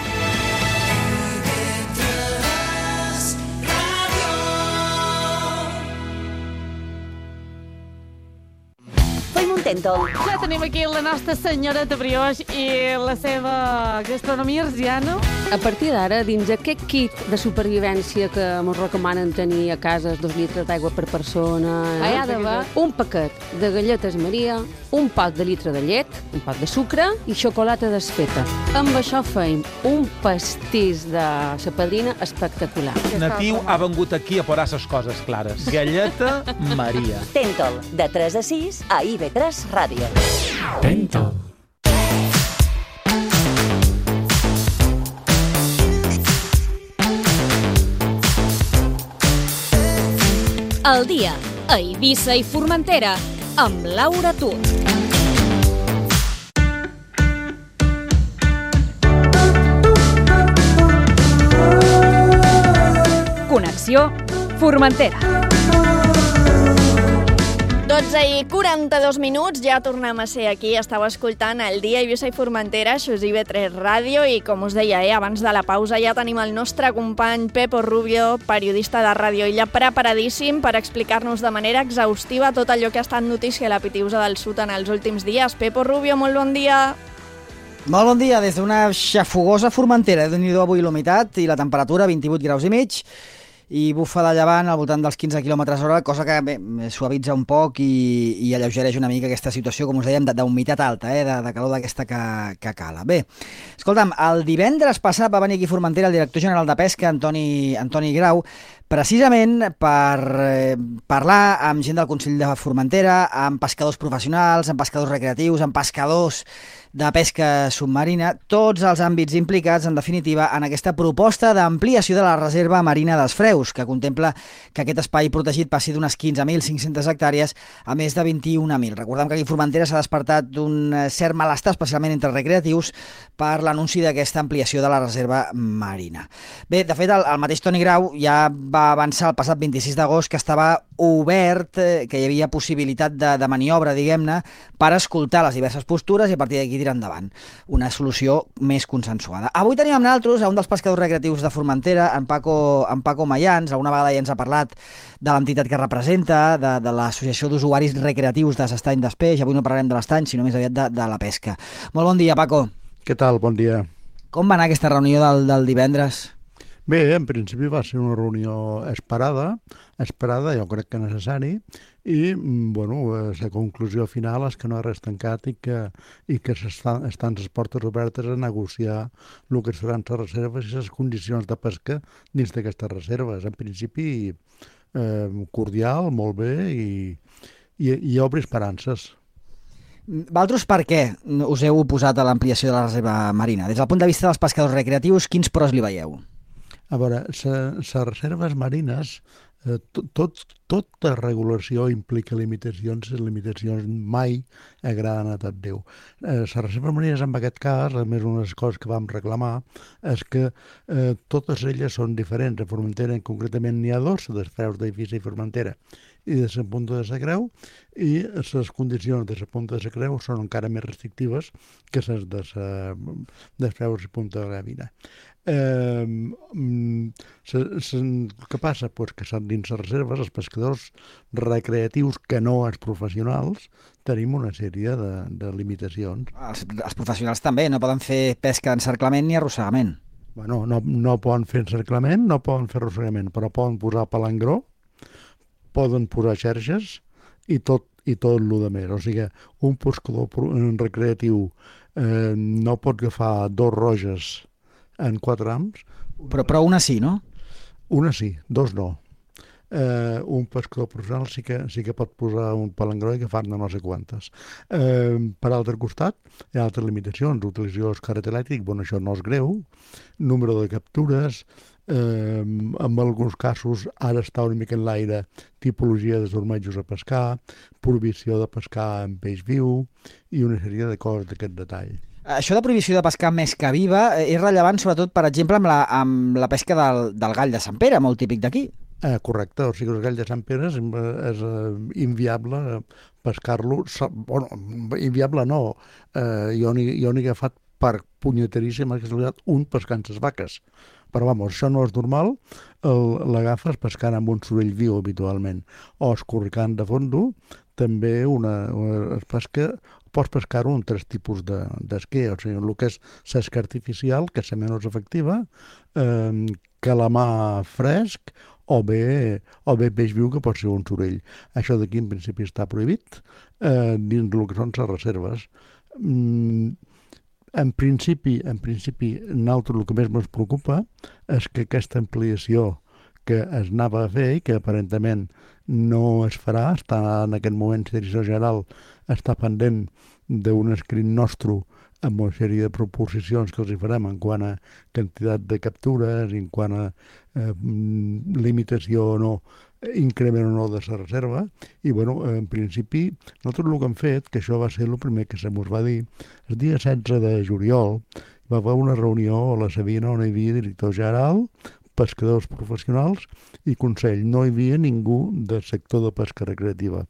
Ja tenim aquí la nostra senyoreta Brioix i la seva gastronomia arsiana. A partir d'ara, dins aquest kit de supervivència que ens recomanen tenir a casa 2 litres d'aigua per persona, hi ha d'haver un paquet de galletes Maria, un pot de litre de llet, un pot de sucre i xocolata desfeta. Amb això feim un pastís de la padrina espectacular. Natiu ha vengut aquí a posar les coses clares. Galleta Maria. Tentol, de 3 a 6 a IB3 Ràdio. Tentol. El dia a Eivissa i Formentera amb Laura Tur. Connexió Formentera. 12:42, ja tornem a ser aquí. Estàu escoltant el dia Eivissa i Formentera, això és IB3 Ràdio, i com us deia, abans de la pausa ja tenim el nostre company Pepo Rubio, periodista de Ràdio Illa, preparadíssim per explicar-nos de manera exhaustiva tot allò que ha estat notícia a la Pitiusa del Sud en els últims dies. Pepo Rubio, molt bon dia. Molt bon dia, des d'una xafogosa Formentera. Déu-n'hi-do avui l'humitat i la temperatura, 28 graus i mig. i bufa de llevant al voltant dels 15 km/h, cosa que suavitza un poc i alleugereix una mica aquesta situació, com us dèiem, d'humitat alta, de calor d'aquesta que cala. Bé, escolta'm, el divendres passat va venir aquí a Formentera el director general de Pesca, Antoni Grau, precisament per parlar amb gent del Consell de Formentera, amb pescadors professionals, amb pescadors recreatius, amb pescadors de pesca submarina, tots els àmbits implicats, en definitiva, en aquesta proposta d'ampliació de la reserva marina dels Freus, que contempla que aquest espai protegit passi d'unes 15.500 hectàrees a més de 21.000. Recordem que aquí a Formentera s'ha despertat un cert malestar, especialment entre recreatius, per l'anunci d'aquesta ampliació de la reserva marina. Bé, de fet, el mateix Toni Grau ja va avançar el passat 26 d'agost que estava obert, que hi havia possibilitat de maniobra, diguem-ne, per escoltar les diverses postures i a partir d'aquí tirar endavant una solució més consensuada. Avui tenim amb nosaltres a un dels pescadors recreatius de Formentera, en Paco Mayans. Alguna vegada ja ens ha parlat de l'entitat que representa, de l'Associació d'Usuaris Recreatius de l'Estany d'Espeix. Avui no parlarem de l'estany, sinó més aviat de la pesca. Molt bon dia, Paco. Què tal? Bon dia. Com va anar aquesta reunió del divendres? Bé, en principi va ser una reunió esperada, jo crec que necessari, i la conclusió final és que no hi ha res tancat i que estan les portes obertes a negociar el que seran les reserves i les condicions de pesca dins d'aquestes reserves. En principi, cordial, molt bé, i obre esperances. Vosaltres per què us heu oposat a l'ampliació de la reserva marina? Des del punt de vista dels pescadors recreatius, quins pros li veieu? A veure, les reserves marines, tota regulació implica limitacions, i limitacions mai agraden a tot Déu. Les reserves marines, en aquest cas, a més una de les coses que vam reclamar, és que totes elles són diferents. A Formentera, concretament, n'hi ha dos, dels Freus d'Eivissa i Formentera, i de la Punta de la Creu, i les condicions de la Punta de la Creu són encara més restrictives que les de Freus i Punta de la Gavina. Què passa? Pues que dins les reserves, els pescadors recreatius que no els professionals, tenim una sèrie de limitacions. Els professionals també no poden fer pesca d'encerclament ni arrossegament. Bueno, no poden fer encerclament, no poden fer arrossegament, però poden posar palangró, poden posar xerxes i tot el de més. O sigui, un pescador recreatiu no pot agafar 2 roges en 4 ams. Però una sí, no? Una sí, 2 no. Un pescador professional sí que pot posar un palangró i agafar-ne no sé quantes. Per altre costat, hi ha altres limitacions. Utilització del carret elèctric, això no és greu. Número de captures, en alguns casos ara està una mica en l'aire tipologia de sormejos a pescar, prohibició de pescar en peix viu i una sèrie de coses d'aquest detall. Això de prohibició de pescar amb mesca viva és rellevant sobretot, per exemple, amb la pesca del gall de Sant Pere, molt típic d'aquí. Correcte, o sigui, el gall de Sant Pere és inviable pescar-lo. Bueno, inviable no, jo n'he agafat per punyeteríssima casualitat un pescant les vaques. Però, això no és normal, l'agafes pescant amb un sorell viu habitualment, o escorricant de fondo, també pots pescar-ho en 3 tipus d'esquer, o sigui, el que és l'esca artificial, que és la menys efectiva, calamar fresc, o bé peix viu, que pot ser un sorell. Això d'aquí, en principi, està prohibit dins el que són les reserves. En principi, nosaltres el que més ens preocupa és que aquesta ampliació que es anava a fer i que aparentment no es farà, està en aquest moment la Direcció General està pendent d'un escrit nostre amb una sèrie de proposicions que els hi farem en quant a quantitat de captures, en quant a limitació o no, increment o no de la reserva, i en principi nosaltres el que hem fet, que això va ser el primer que se mos va dir, el dia 16 de juliol va haver una reunió a la Sabina on hi havia director general, pescadors professionals i Consell. No hi havia ningú del sector de pesca recreativa.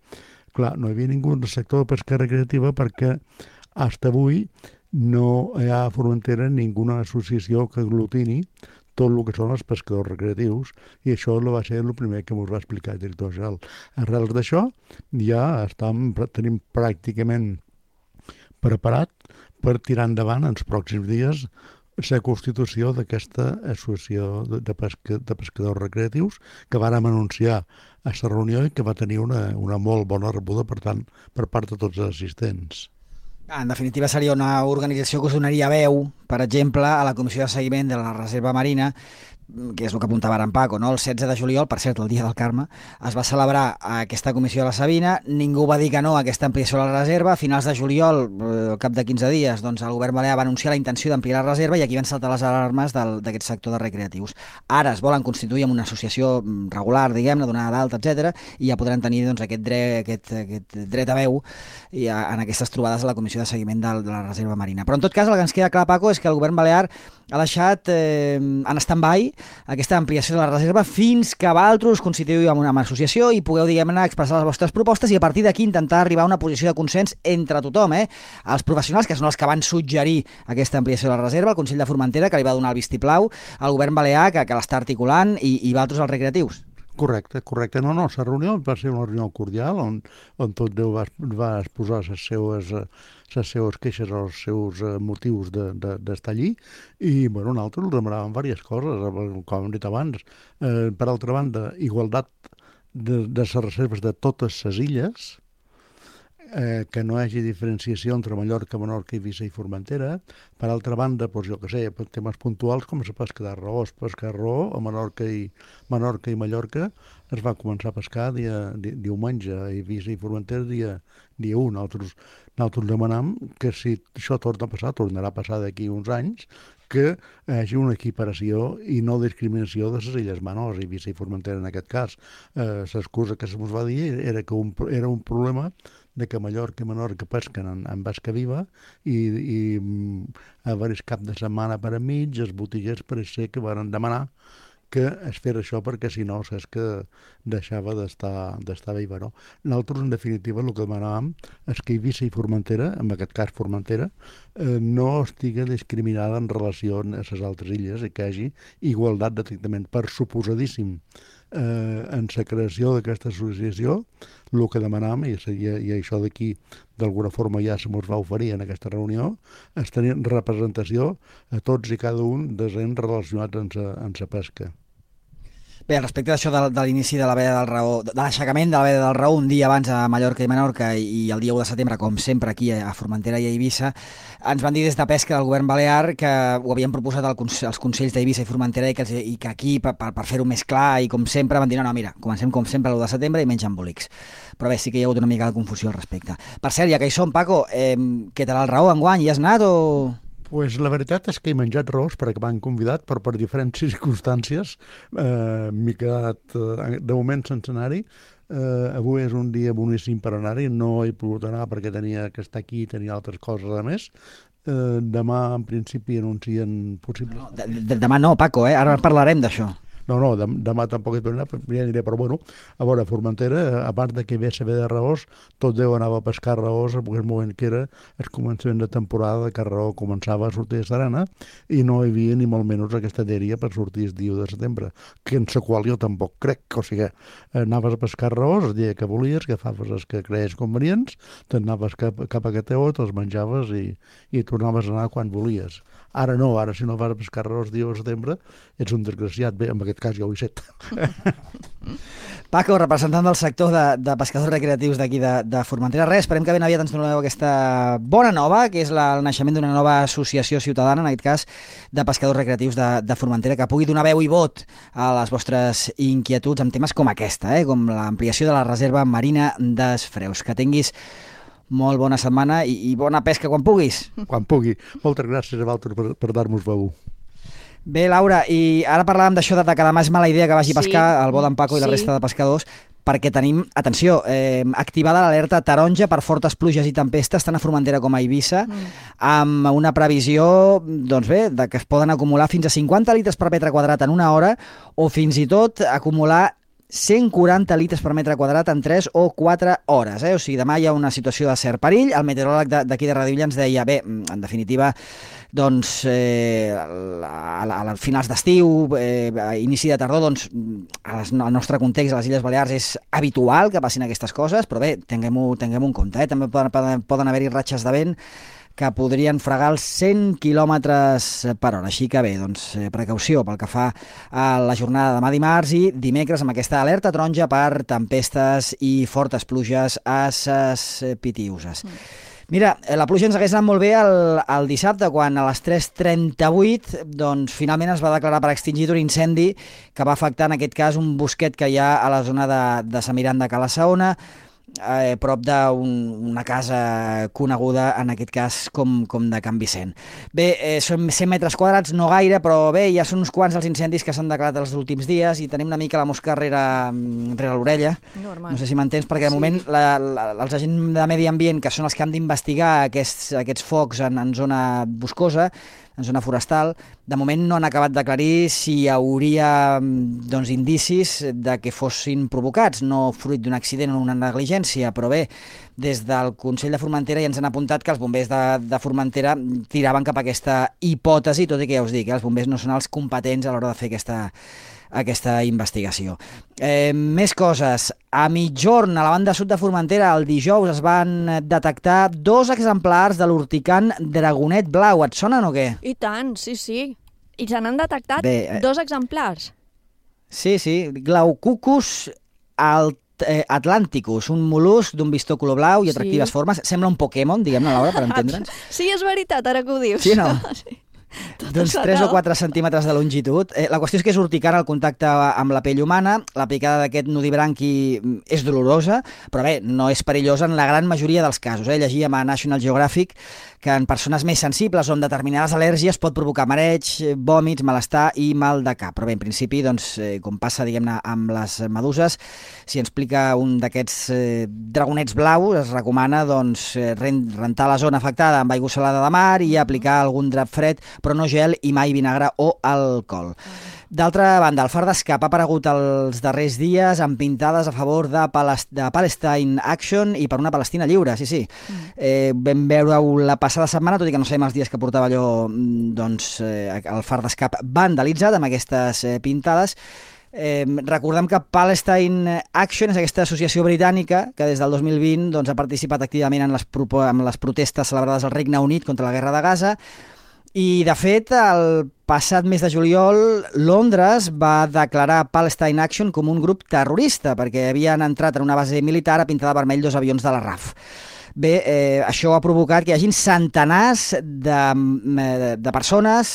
Clar, no hi havia ningú del sector de pesca recreativa perquè fins avui no hi ha a Formentera ninguna associació que aglutini tot el que són els pescadors recreatius, i això va ser el primer que ens va explicar el director general. Arrels d'això ja tenim pràcticament preparat per tirar endavant en els pròxims dies la constitució d'aquesta associació de pescadors recreatius que vàrem anunciar a la reunió i que va tenir una molt bona rebuda, per tant, per part de tots els assistents. En definitiva, seria una organització que us donaria veu, per exemple, a la Comissió de Seguiment de la Reserva Marina, que és el que apuntava ara en Paco, no? El 16 de juliol, per cert, el dia del Carme, es va celebrar aquesta comissió de la Sabina, ningú va dir que no a aquesta ampliació de la reserva, a finals de juliol, al cap de 15 dies, doncs el govern balear va anunciar la intenció d'ampliar la reserva i aquí van saltar les alarmes d'aquest sector de recreatius. Ara es volen constituir en una associació regular, diguem-ne, donada d'alta, etc, i ja podran tenir doncs, aquest dret a veu en aquestes trobades a la Comissió de Seguiment de la Reserva Marina. Però en tot cas, el que ens queda clar, Paco, és que el govern balear ha deixat en stand-by aquesta ampliació de la reserva fins que vosaltres constituïu amb una associació i pugueu, diguem-ne, expressar les vostres propostes i a partir d'aquí intentar arribar a una posició de consens entre tothom, els professionals, que són els que van suggerir aquesta ampliació de la reserva, el Consell de Formentera, que li va donar el vistiplau, el govern balear, que l'està articulant, i vosaltres els recreatius. Correcte. No, la reunió va ser una reunió cordial on tot Déu va exposar les seues queixes o els seus motius d'estar allí i, bueno, nosaltres demanàvem diverses coses, com hem dit abans. Per altra banda, igualtat de les reserves de totes les illes, que no hi hagi diferenciació entre Mallorca, Menorca, Eivissa i Formentera. Per altra banda, doncs, jo què sé, temes puntuals com la pesca de raó. Es pesca raó a Menorca i Mallorca es va començar a pescar diumenge, a Eivissa i Formentera dia 1. Nosaltres demanam que si això torna a passar, tornarà a passar d'aquí uns anys, que hi hagi una equiparació i no discriminació de les illes menors, Eivissa i Formentera en aquest cas. L'excusa que se'ns va dir era que era un problema de que Mallorca i Menorca pesquen en basca viva i a diversos cap de setmana per enmig els botiguers pareix ser que van demanar que es fes això perquè si no saps que deixava d'estar viva, no? Nosaltres, en definitiva, el que demanàvem és que Eivissa i Formentera, en aquest cas Formentera, no estigui discriminada en relació a les altres illes i que hi hagi igualtat de tractament. Per suposadíssim, en la creació d'aquesta associació, el que demanàvem, i això d'aquí d'alguna forma ja se mos va oferir en aquesta reunió, és tenir representació a tots i cada un dels ens relacionats amb la pesca. Bé, respecte d'això de l'inici de la veda del Raó, de l'aixecament de la veda del Raó un dia abans a Mallorca i Menorca i el dia 1 de setembre, com sempre aquí a Formentera i a Eivissa, ens van dir des de Pesca del govern balear que ho havien proposat als consells d'Eivissa i Formentera i que aquí, per fer-ho més clar i com sempre, van dir no, mira, comencem com sempre l'1 de setembre i menys embolics. Però bé, sí que hi ha hagut una mica de confusió al respecte. Per cert, ja que hi som, Paco, què tal el Raó enguany? Hi has anat o...? Pues la veritat és que he menjat raós perquè m'han convidat, però per diferents circumstàncies m'he quedat de moment sense anar-hi. Avui és un dia boníssim per anar-hi, no he pogut anar perquè tenia que estar aquí i tenia altres coses a més. Demà, en principi, anuncien possibles... Demà no, Paco, ara parlarem d'això. No, demà tampoc hi tornarà, ja aniré, però bueno, a veure, Formentera, a part de que ve saber de raós, tot Déu anava a pescar raós, en el moment que era el començament de temporada que el raó començava a sortir de Serana i no hi havia ni molt menys aquesta dèria per sortir el dia 1 de setembre, que en la qual jo tampoc crec, o sigui, anaves a pescar raós el dia que volies, agafaves els que creies convenients, t'anaves cap a Cateó, te'ls menjaves i tornaves a anar quan volies. Ara no, ara si no vas a pescar raós el dia 1 de setembre ets un desgraciat, bé, en aquest cas ja ho he set. Paco, representant del sector de pescadors recreatius d'aquí de Formentera, esperem que ben aviat ens doneu aquesta bona nova, que és el naixement d'una nova associació ciutadana, en aquest cas de pescadors recreatius de Formentera, que pugui donar veu i vot a les vostres inquietuds amb temes com aquesta, com l'ampliació de la reserva marina dels Freus. Que tinguis molt bona setmana i bona pesca quan puguis. Quan pugui. Moltes gràcies a vosaltres per dar-nos veu. Bé, Laura, i ara parlàvem d'això de que demà és mala idea que vagi a pescar el bo d'en Paco i la resta de pescadors, perquè tenim, atenció, activada l'alerta taronja per fortes pluges i tempestes tant a Formentera com a Eivissa, amb una previsió, doncs bé, de que es poden acumular fins a 50 litres per metre quadrat en una hora o fins i tot acumular 140 litres per metre quadrat en 3 o 4 hores. O sigui, demà hi ha una situació de cert perill. El meteoròleg d'aquí de Radivilla ens deia, bé, en definitiva, doncs, a finals d'estiu, a inici de tardor, doncs, al nostre context, a les Illes Balears, és habitual que passin aquestes coses, però bé, tinguem-ho en compte. També poden haver-hi ratxes de vent que podrien fregar els 100 km/h. Així que bé, doncs, precaució pel que fa a la jornada de demà dimarts i dimecres amb aquesta alerta taronja per tempestes i fortes pluges a ses Pitiüses. Mira, la pluja ens hagués anat molt bé el dissabte, quan a les 3:38 doncs, finalment es va declarar per extingit un incendi que va afectar, en aquest cas, un bosquet que hi ha a la zona de Sant Miran de Cala Saona, prop d'una casa coneguda, en aquest cas, com de Can Vicent. Bé, són 100 metres quadrats, no gaire, però bé, ja són uns quants els incendis que s'han declarat els últims dies i tenim una mica la mosca rere l'orella. Normal. No sé si m'entens, perquè de moment els agents de medi ambient, que són els que han d'investigar aquests focs en zona boscosa, en zona forestal, de moment no han acabat d'aclarir si hi hauria indicis de que fossin provocats, no fruit d'un accident o una negligència, però bé, des del Consell de Formentera ja ens han apuntat que els bombers de Formentera tiraven cap a aquesta hipòtesi, tot i que ja us dic, els bombers no són els competents a l'hora de fer aquesta investigació. Més coses. A mitjorn, a la banda sud de Formentera, el dijous es van detectar 2 exemplars de l'urticant dragonet blau. Et sonen o què? I tant, sí. I se n'han detectat 2 exemplars. Sí. Glaucucus atlanticus, un mol·lusc d'un vistó color blau i atractives formes. Sembla un Pokémon, diguem-ne, Laura, per entendre'ns. Sí, és veritat, ara que ho dius. Sí, no? Sí. D'uns 3 o 4 centímetres de longitud. La qüestió és que és urticant al contacte amb la pell humana. La picada d'aquest nudibranqui és dolorosa, però bé, no és perillosa en la gran majoria dels casos. Llegíem a National Geographic que en persones més sensibles o amb determinades al·lèrgies pot provocar mareig, vòmits, malestar i mal de cap. Però bé, en principi, doncs, com passa, diguem-ne, amb les meduses, si ens pica un d'aquests dragonets blaus, es recomana doncs, rentar la zona afectada amb aigua salada de mar i aplicar algun drap fred, però no gel i mai vinagre o alcohol. D'altra banda, el far d'Escap ha aparegut els darrers dies amb pintades a favor de Palestine Action i per una Palestina lliure, sí. Vam veure-ho la passada setmana, tot i que no sabem els dies que portava allò, doncs, el far d'Escap vandalitzat amb aquestes pintades. Recordem que Palestine Action és aquesta associació britànica que des del 2020 doncs, ha participat activament en les protestes celebrades al Regne Unit contra la guerra de Gaza. I, de fet, el passat mes de juliol, Londres va declarar Palestine Action com un grup terrorista perquè havien entrat en una base militar a pintar de vermell 2 avions de la RAF. Bé, això ha provocat que hi hagin centenars de persones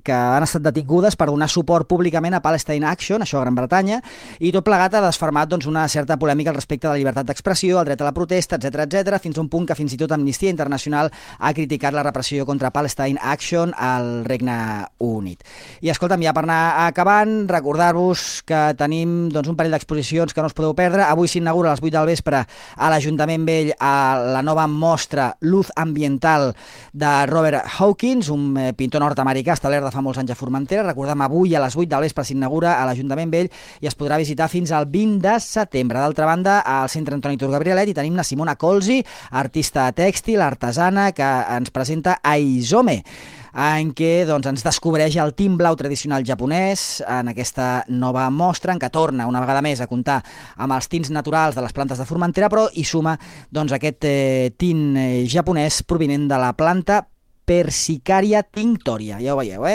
que han estat detingudes per donar suport públicament a Palestine Action, això a Gran Bretanya, i tot plegat ha desfermat doncs, una certa polèmica al respecte de la llibertat d'expressió, el dret a la protesta, etc, fins a un punt que fins i tot Amnistia Internacional ha criticat la repressió contra Palestine Action al Regne Unit. I escolta'm, ja per anar acabant, recordar-vos que tenim doncs, un parell d'exposicions que no us podeu perdre. Avui s'inaugura a les 8 del vespre a l'Ajuntament Vell a la nova mostra Luz Ambiental de Robert Hawkins, un pintor nord-americà establert de fa molts anys a Formentera. Recordem, avui a les 8 del vespre s'inaugura a l'Ajuntament Vell i es podrà visitar fins al 20 de setembre. D'altra banda, al Centre Antoni Tur Gabrielet hi tenim la Simona Colzi, artista tèxtil, artesana, que ens presenta Aizome, en què doncs, ens descobreix el tint blau tradicional japonès en aquesta nova mostra, en què torna una vegada més a comptar amb els tints naturals de les plantes de Formentera, però hi suma doncs, aquest tint japonès provinent de la planta Persicaria tinctoria. Ja ho veieu,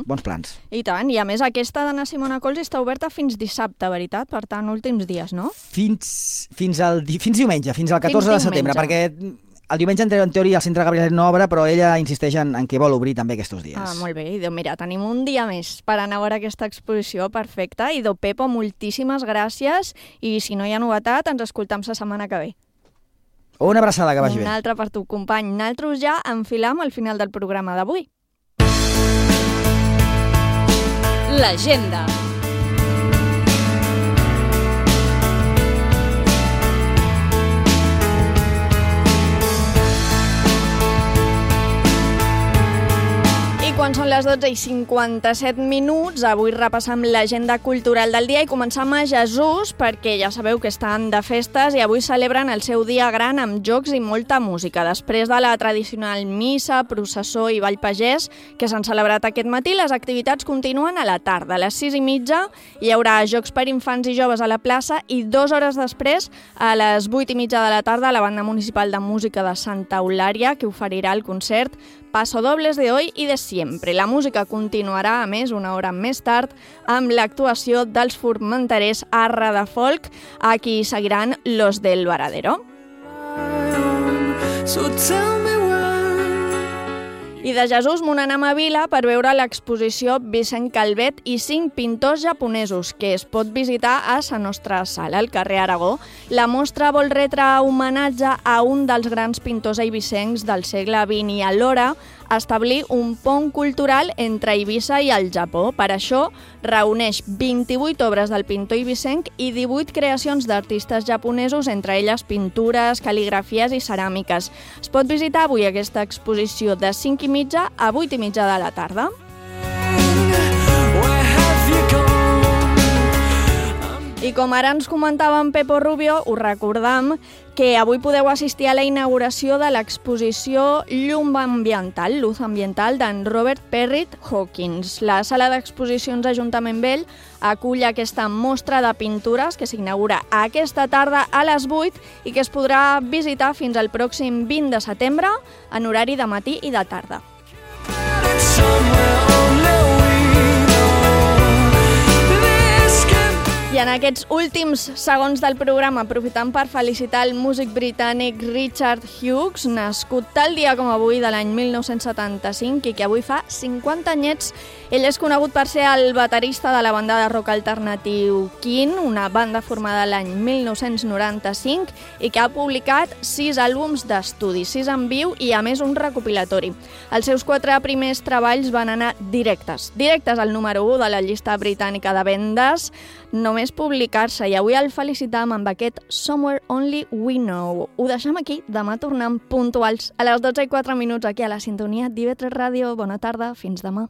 Bons plans. I tant, i a més aquesta d'Anna Simona Colzi està oberta fins dissabte, veritat? Per tant, últims dies, no? Fins diumenge, fins al 14 de setembre, perquè el diumenge, en teoria, el Centre Gabrielet no obre, però ella insisteix en què vol obrir també aquests dies. Molt bé. I mira, tenim un dia més per anar a veure aquesta exposició perfecta. I Pepo, moltíssimes gràcies. I si no hi ha novetat, ens escoltam la setmana que ve. Una abraçada, que vagi bé. Una altra per tu, company. Nosaltres ja enfilam al final del programa d'avui. L'agenda. quan són les 12:57, avui repassam l'agenda cultural del dia i començam a Jesús, perquè ja sabeu que estan de festes i avui celebren el seu dia gran amb jocs i molta música. Després de la tradicional missa, processó i ball pagès que s'han celebrat aquest matí, les activitats continuen a la tarda. A les 6:30 hi haurà jocs per infants i joves a la plaça i 2 hores després, a les 8:30 de la tarda, la Banda Municipal de Música de Santa Eulària, que oferirà el concert Pasodobles de hoy y de siempre. La música continuarà, a més, una hora més tard, amb l'actuació dels formenterers Arra de Folk, a qui seguiran Los del Varadero. I de Jesús m'ho anem a Vila per veure l'exposició Vicent Calvet i 5 pintors japonesos, que es pot visitar a la nostra sala, al carrer Aragó. La mostra vol retre homenatge a un dels grans pintors eivissencs del segle XX i alhora establir un pont cultural entre Eivissa i el Japó. Per això reuneix 28 obres del pintor eivissenc i 18 creacions d'artistes japonesos, entre elles pintures, cal·ligrafies i ceràmiques. Es pot visitar avui aquesta exposició de 5:30 a 8:30 de la tarda. I com ara ens comentava en Pepo Rubio, us recordam que avui podeu assistir a la inauguració de l'exposició Llum Ambiental, Luz Ambiental, d'en Robert Perrit Hawkins. La sala d'exposicions Ajuntament Vell acull aquesta mostra de pintures que s'inaugura aquesta tarda a les 8 i que es podrà visitar fins al pròxim 20 de setembre en horari de matí i de tarda. I en aquests últims segons del programa, aprofitant per felicitar el músic britànic Richard Hughes, nascut tal dia com avui de l'any 1975 i que avui fa 50 anyets. Ell és conegut per ser el baterista de la banda de rock alternatiu Keane, una banda formada l'any 1995 i que ha publicat 6 àlbums d'estudi, 6 en viu i a més un recopilatori. Els seus 4 primers treballs van anar directes al número 1 de la llista britànica de vendes, només publicar-se, i avui el felicitam amb aquest Somewhere Only We Know. Ho deixem aquí, demà tornem puntuals a les 12:04 aquí a la sintonia d'IV3 Ràdio. Bona tarda, fins demà.